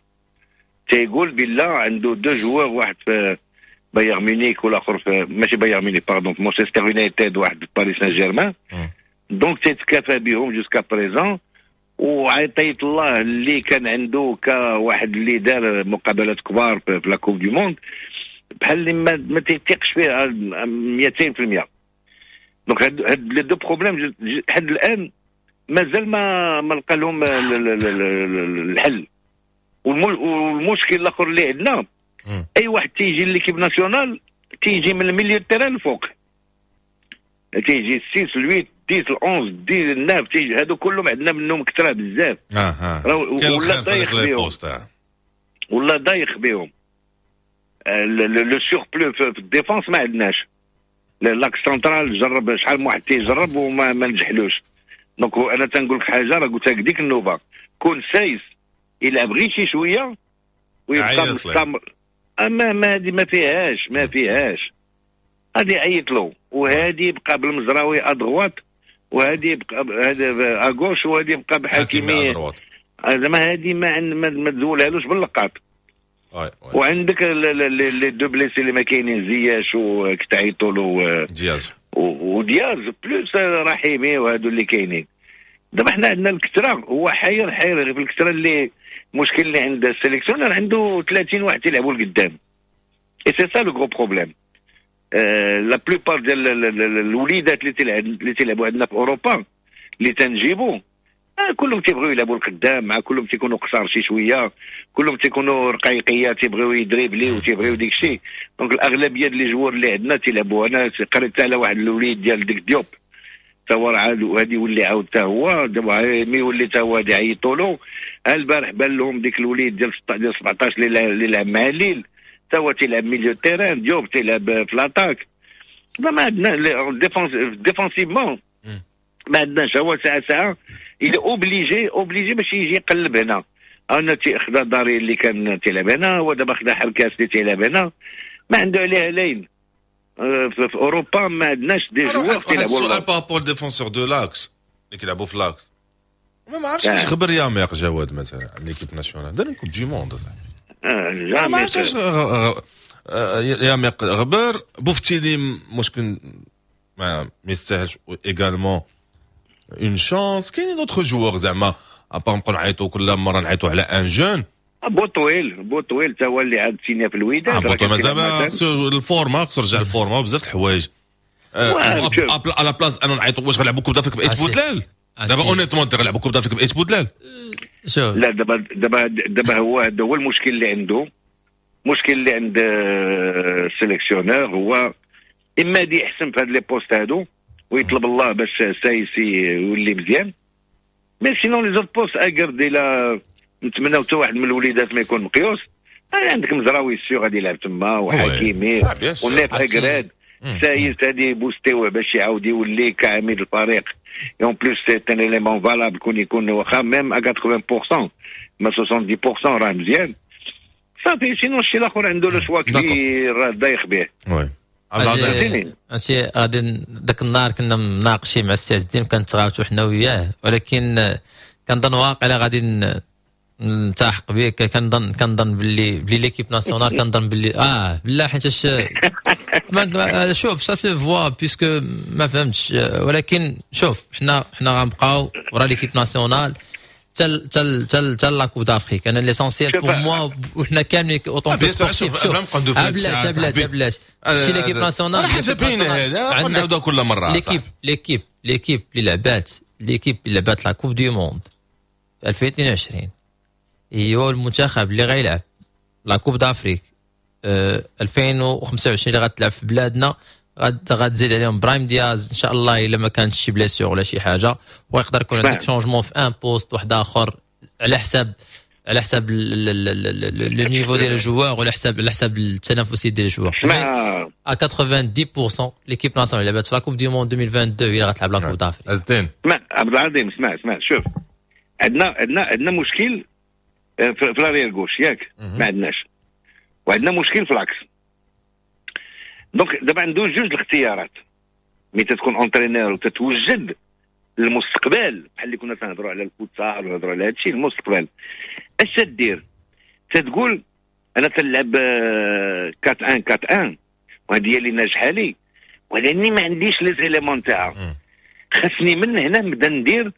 تيقول بالله عنده deux joueurs، واحد في بايرن ميونيك والاخر في، ماشي بايرن ميونيك pardon، في مانشستر يونايتد، واحد في باريس سان جيرمان، donc تيتكافى بهم jusqu'à présent. وعطية الله اللي كان عنده كواحد اللي دار مقابلات كبار في la Coupe du Monde بحال اللي ما تيثيقش فيه 200%. donc هاد les deux problèmes لحد الان مازال ما لقى لهم الحل. والمشكل الاخر اللي عندنا، اي واحد تيجي l'équipe nationale تيجي من ال milieu terrain الفوق، تيجي 6 8. 10 11 10 9 هادو كلهم عندنا منهم كثرة بزاف. ولا ضايق بهم، ولا ضايق بهم le surplus في ال défense ما عندناش. l'axe central جرب شحال من واحد تيجرب وما ما نجحلوش. donc انا تنقول لك حاجة، راه قلتها لك ديك النوبة، كون سايس يلعب غير شي شوية ويبقى مستمر، اما ما هذه ما فيهاش، ما فيهاش. غادي يعيط له، وهادي يبقى بالمزراوي à droite، وهادي يبقى هذا à gauche، وهادي يبقى بحكيمي. زعما هادي ما تزولهالوش باللقاط. وعندك les deux blessés اللي ما كاينين، زياش وكتعيطوا له دياز ودياز plus رحيمي وهادو اللي كاينين. دابا حنا عندنا الكثرة، هو حير حير في الكثرة. اللي المشكل اللي عند ال sélectionneur عنده 30 واحد تيلعبوا لقدام، et c'est ça le gros problème. la plupart ديال الوليدات اللي تيلعبوا عندنا في اوروبا اللي تنجيبوا كلهم تيبغيو يلعبوا القدام، مع كلهم تيكونوا قصار شي شوية، كلهم تيكونوا رقيقيه، تيبغيو يدريبلي وتيبغيو ديك الشيء. donc الاغلبية ديال les joueurs اللي عندنا تيلعبوا. انا قريت على واحد الوليد ديال ديك ديوب، تا هو راه وهادي يولي عاود تا هو دابا mais يولي تا هو غادي يعيطوا له. البارح بان لهم ديك الوليد ديال 17 اللي لعب مع ليل، تا هو تيلعب milieu terrain، ديوب تيلعب في l'attaque. ما عندنا défensivement ما عندناش. هو ساعة ساعة il est obligé obligé باش يجي يقلب هنا. انا خدا داري اللي كان تيلعب هنا، هو دابا خدا حركاس اللي تيلعب هنا، ما عنده عليها لين. في اوروبا ما عندناش des joueurs تيلعبوا. السؤال par rapport défenseurs de l'axe اللي كيلعبوا في l'axe، ما عرفتش علاش غبر ياميق جواد مثلا l'équipe nationale دار Coupe du monde. ما عرفتش علاش ياميق غبر. بوفتيلي مشكل ما يستاهلش également une chance. كاينين d'autres joueurs زعما à part نبقاو نعيطوا كل مرة نعيطوا على un jeune. بوطويل بوطويل تا هو اللي عاد سينيا في الوداد. بوطويل مازال خصو ال forme، خصو يرجع ال forme بزاف د الحوايج. à la place انا نعيطوا واش غنلعبوا Coupe d'Afrique بإيت بودلال دابا؟ honnêtement غنلعبوا Coupe d'Afrique بإيت بودلال؟ لا دابا دابا دابا هو هذا هو المشكل اللي عنده، المشكل اللي عند ال sélectionneur هو اما دي يحسن في هاد les postes هادو ويطلب الله باش سايسي يولي مزيان، mais sinon les autres postes اكرد الى نتمناو حتى واحد من الوليدات ما يكون مقيوس. عندك مزراوي sûr غادي يلعب تما، وحكيمي ونيف اكراد، سايس هادي بوستيوه باش يعاود يولي كعميد الفريق. en plus c'est un élément valable كون يكون واخا même 80% ما 70% راه مزيان صافي. sinon الشيء الاخر عنده le choix كبير راه دايخ به. oui ماشي غادي ذاك النهار كنا مناقشين مع السي عز الدين، كنتغاوتو حنا وياه، ولكن كنظن واقيلا غادي نلتحق بك. كنظن باللي l'équipe nationale، كنظن باللي لا حيتاش شوف ça se voit puisque ما فهمتش. ولكن شوف حنا غنبقاو ورا l'équipe nationale تل تل تل تل la Coupe d'Afrique. انا l'essentiel pour moi وحنا كاملين autant que sportifs. شوف بلاش بلاش بلاش شي l'équipe nationale حاجة باينة، هذا نعاودها كل مرة. l'équipe l'équipe اللي لعبات، l'équipe اللي لعبات la Coupe du monde 2022 هي هو المنتخب اللي غيلعب la Coupe d'Afrique 2025 اللي غتلعب في بلادنا. غتزيد عليهم برايم دياز ان شاء الله الا ما كانتش شي blessure ولا شي حاجة، ويقدر يكون عندك changement في un poste واحد اخر على حساب le niveau ديال ال joueur ولا حساب التنافسية ديال ال joueur. à 90% l'équipe nationale اللي لعبت في la Coupe du monde 2022 هي اللي غتلعب la Coupe d'Afrique. اسمع عبد العظيم، اسمع شوف عندنا مشكل في l'arrière gauche ياك، ما عندناش، وعندنا مشكل في l'axe. donc دابا عنده جوج الاختيارات ملي تكون entraîneur وتتوجد للمستقبل، بحال اللي كنا تنهضروا على الفوتسال ونهضروا على هادشي المستقبل. اش تدير؟ تتقول انا تنلعب 4 1 4 1 وهذه هي اللي ناجحة لي، ولاني ما عنديش les éléments تاعها، خاصني من هنا نبدا ندير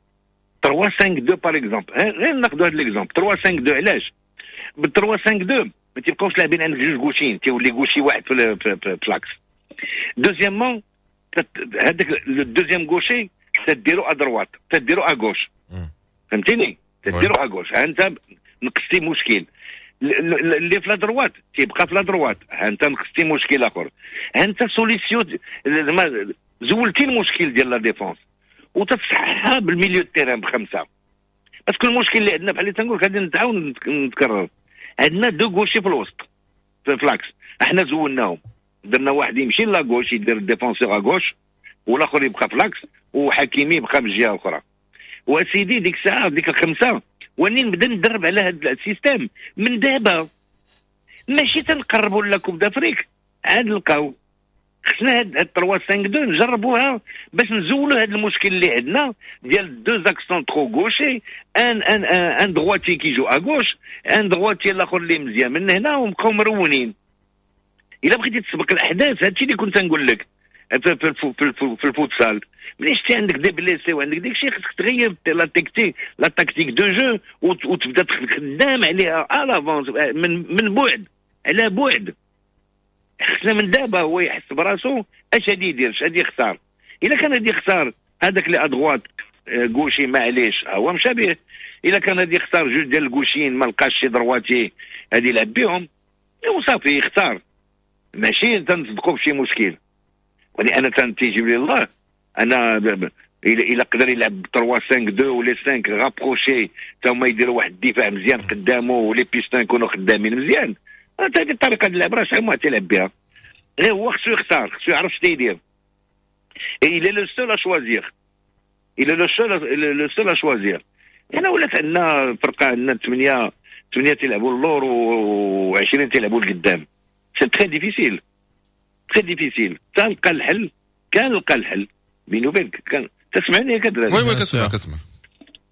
3 5 2 par exemple. غير ناخذ هذا l'exemple 3 5 2. علاش؟ بال 3 5 2 ما تيبقاوش لاعبين عندك جوج gauchers، تيولي gaucher واحد في l'axe. deuxièmement هذاك le deuxième gaucher تديرو à droite، تديرو à gauche، فهمتيني؟ تديرو à gauche، انت نقصتي مشكل. اللي في la droite تيبقى في la droite، انت نقصتي مشكل اخر، انت solution زعما زولتي المشكل ديال la défense. وتتصححها بال milieu terrain بخمسة. parce que المشكل اللي عندنا بحال اللي تنقول غادي نتعاون نتكرر، عندنا deux gauchers في الوسط في l'axe، احنا زولناهم، درنا واحد يمشي la gauche يدير défenseur à gauche والاخر يبقى في l'axe وحكيمي يبقى من الجهة الاخرى. وسيدي ديك الساعة ديك الخمسة واني نبدا ندرب على هذا ال système من دابا، ماشي تنقربوا la Coupe d'Afrique عاد نلقاو. خصنا هاد 3 5 2 نجربوها باش نزولوا هاد المشكل اللي عندنا ديال deux axes centraux gauchers، un un un droitier qui joue à gauche، un droitier الاخر اللي مزيان من هنا، ونبقاو مرونين. الا بغيتي تسبق الاحداث هادشي اللي كنت نقول لك في الفوتسال، ملي شتي عندك des blessés وعندك ديك الشيء خصك تغير la tactique de jeu وتبدا خدام عليها à l'avance من بعد على بعد. خصنا من دابا هو يحس براسو اش غادي يدير، اش غادي يختار. الا كان غادي يختار هذاك اللي à droite gaucher معليش هو مشى به، الا كان غادي يختار جوج ديال ال gauchers ما لقاش شي droitier غادي يلعب بهم وصافي يختار، ماشي تنصدقوا بشي مشكل. ولان انا تيجيب لي الله انا الا قدر يلعب 3 5 2 ولا 5 rapprochés تا هما يديروا واحد الدفاع مزيان قدامه و les pistons يكونوا خدامين مزيان، هذه الطريقة ديال اللعب راه شحال ما تيلعب بها. غير هو خصو يختار، خصو يعرف شنو يدير. il est le seul à choisir، il est le seul à choisir. هنا ولات عندنا فرقه، عندنا 8 تيلعبوا اللور و20 تيلعبوا القدام. c'est très difficile، très difficile. تلقى الحل، كان لقى الحل بيني وبينك، كان تسمعني يا كدري؟ oui oui كنسمع كنسمع.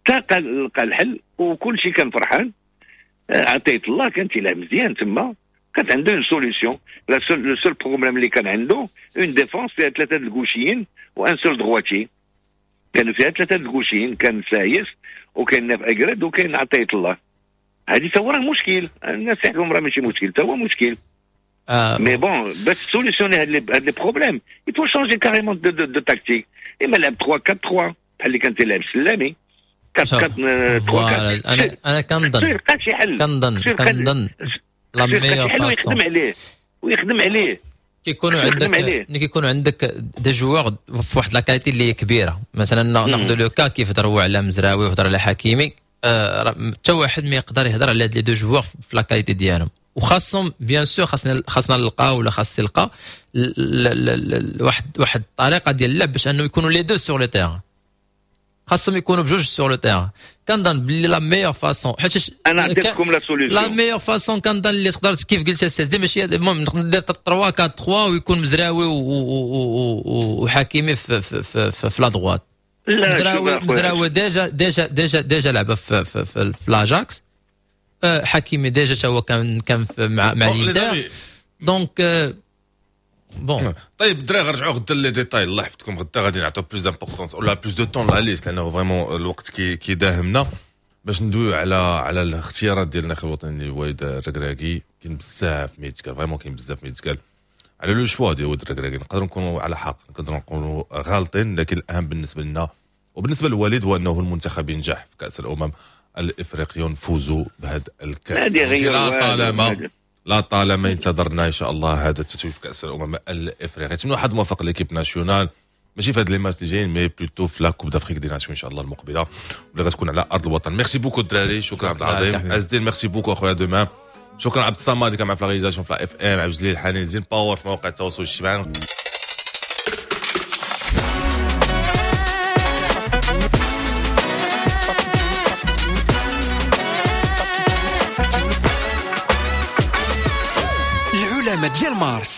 تلقى الحل وكل شيء كان فرحان. عطيت الله كان تيلعب مزيان تما، كانت عنده une solution. le seul problème اللي كان عنده une défense فيها ثلاثة ال gauchers و un seul droitier. كانوا فيها ثلاثة ال gauchers، كان سايس وكاين ناف اكرد وكاين عطية الله. هذه تا هو راه مشكل، الناس يحكموا راه ماشي مشكل، تا هو مشكل. mais bon باش solutionner هاد les problèmes il faut changer carrément de tactique. اما لعب 3 4 3 بحال اللي كان تيلعب سلامي 4 4 3 4. انا كنظن كنظن la meilleure façon ويخدم عليه، ويخدم عليه. كيكونوا عندك ملي كيكونوا عندك des joueurs في واحد la qualité اللي كبيرة، مثلا ناخذ le cas كيف هضروا على مزراوي وهضر على حكيمي، حتى واحد ما يقدر يهضر على هاد les deux joueurs في la qualité ديالهم، وخاصهم bien sûr خاصنا نلقاو ولا خاص يلقى واحد الطريقة ديال اللعب باش انه يكونوا les deux sur le terrain، خاصهم يكونوا بجوج sur le terrain. كنظن بلي la meilleure façon، حيت انا عطيتكم la solution، la meilleure façon كنظن اللي تقدر كيف قلت السي ماشي المهم نقدر ندير 3 4 3 ويكون مزراوي وحكيمي في في في, في, في la droite. مزراوي déjà déjà déjà déjà لعب في في في, في l'Ajax، حكيمي déjà هو كان مع الانتر، donc bon. طيب الدراري غنرجعوا غدا les détails، الله يحفظكم. غدا غادي نعطيو plus d'importance ولا plus de temps la liste، لانه vraiment الوقت كيداهمنا باش ندويو على الاختيارات ديال الناخب الوطني وليد الركراكي. كاين بزاف ما يتقال، vraiment كاين بزاف ما يتقال على le choix ديال وليد الركراكي. نقدروا نكونوا على حق، نقدروا نكونوا غالطين، لكن الاهم بالنسبة لنا وبالنسبة للوليد هو انه المنتخب ينجح في كاس الامم الافريقية ونفوزوا بهذا الكاس. لا طالما انتظرنا ان شاء الله هذا التتويج في كاس الامم الافريقية. نتمنوا حد موفق l'équipe nationale، ماشي في هاد les matchs اللي جايين، mais plutôt في la Coupe d'Afrique des Nations ان شاء الله المقبلة واللي غتكون على ارض الوطن. merci beaucoup الدراري، شكرا عبد العظيم عز الدين، merci beaucoup اخويا demain. شكرا عبد الصمد اللي كان معنا في la réalisation في la FM، عبد الجليل الحنين زين باور في مواقع التواصل الاجتماعي. ديال مارس.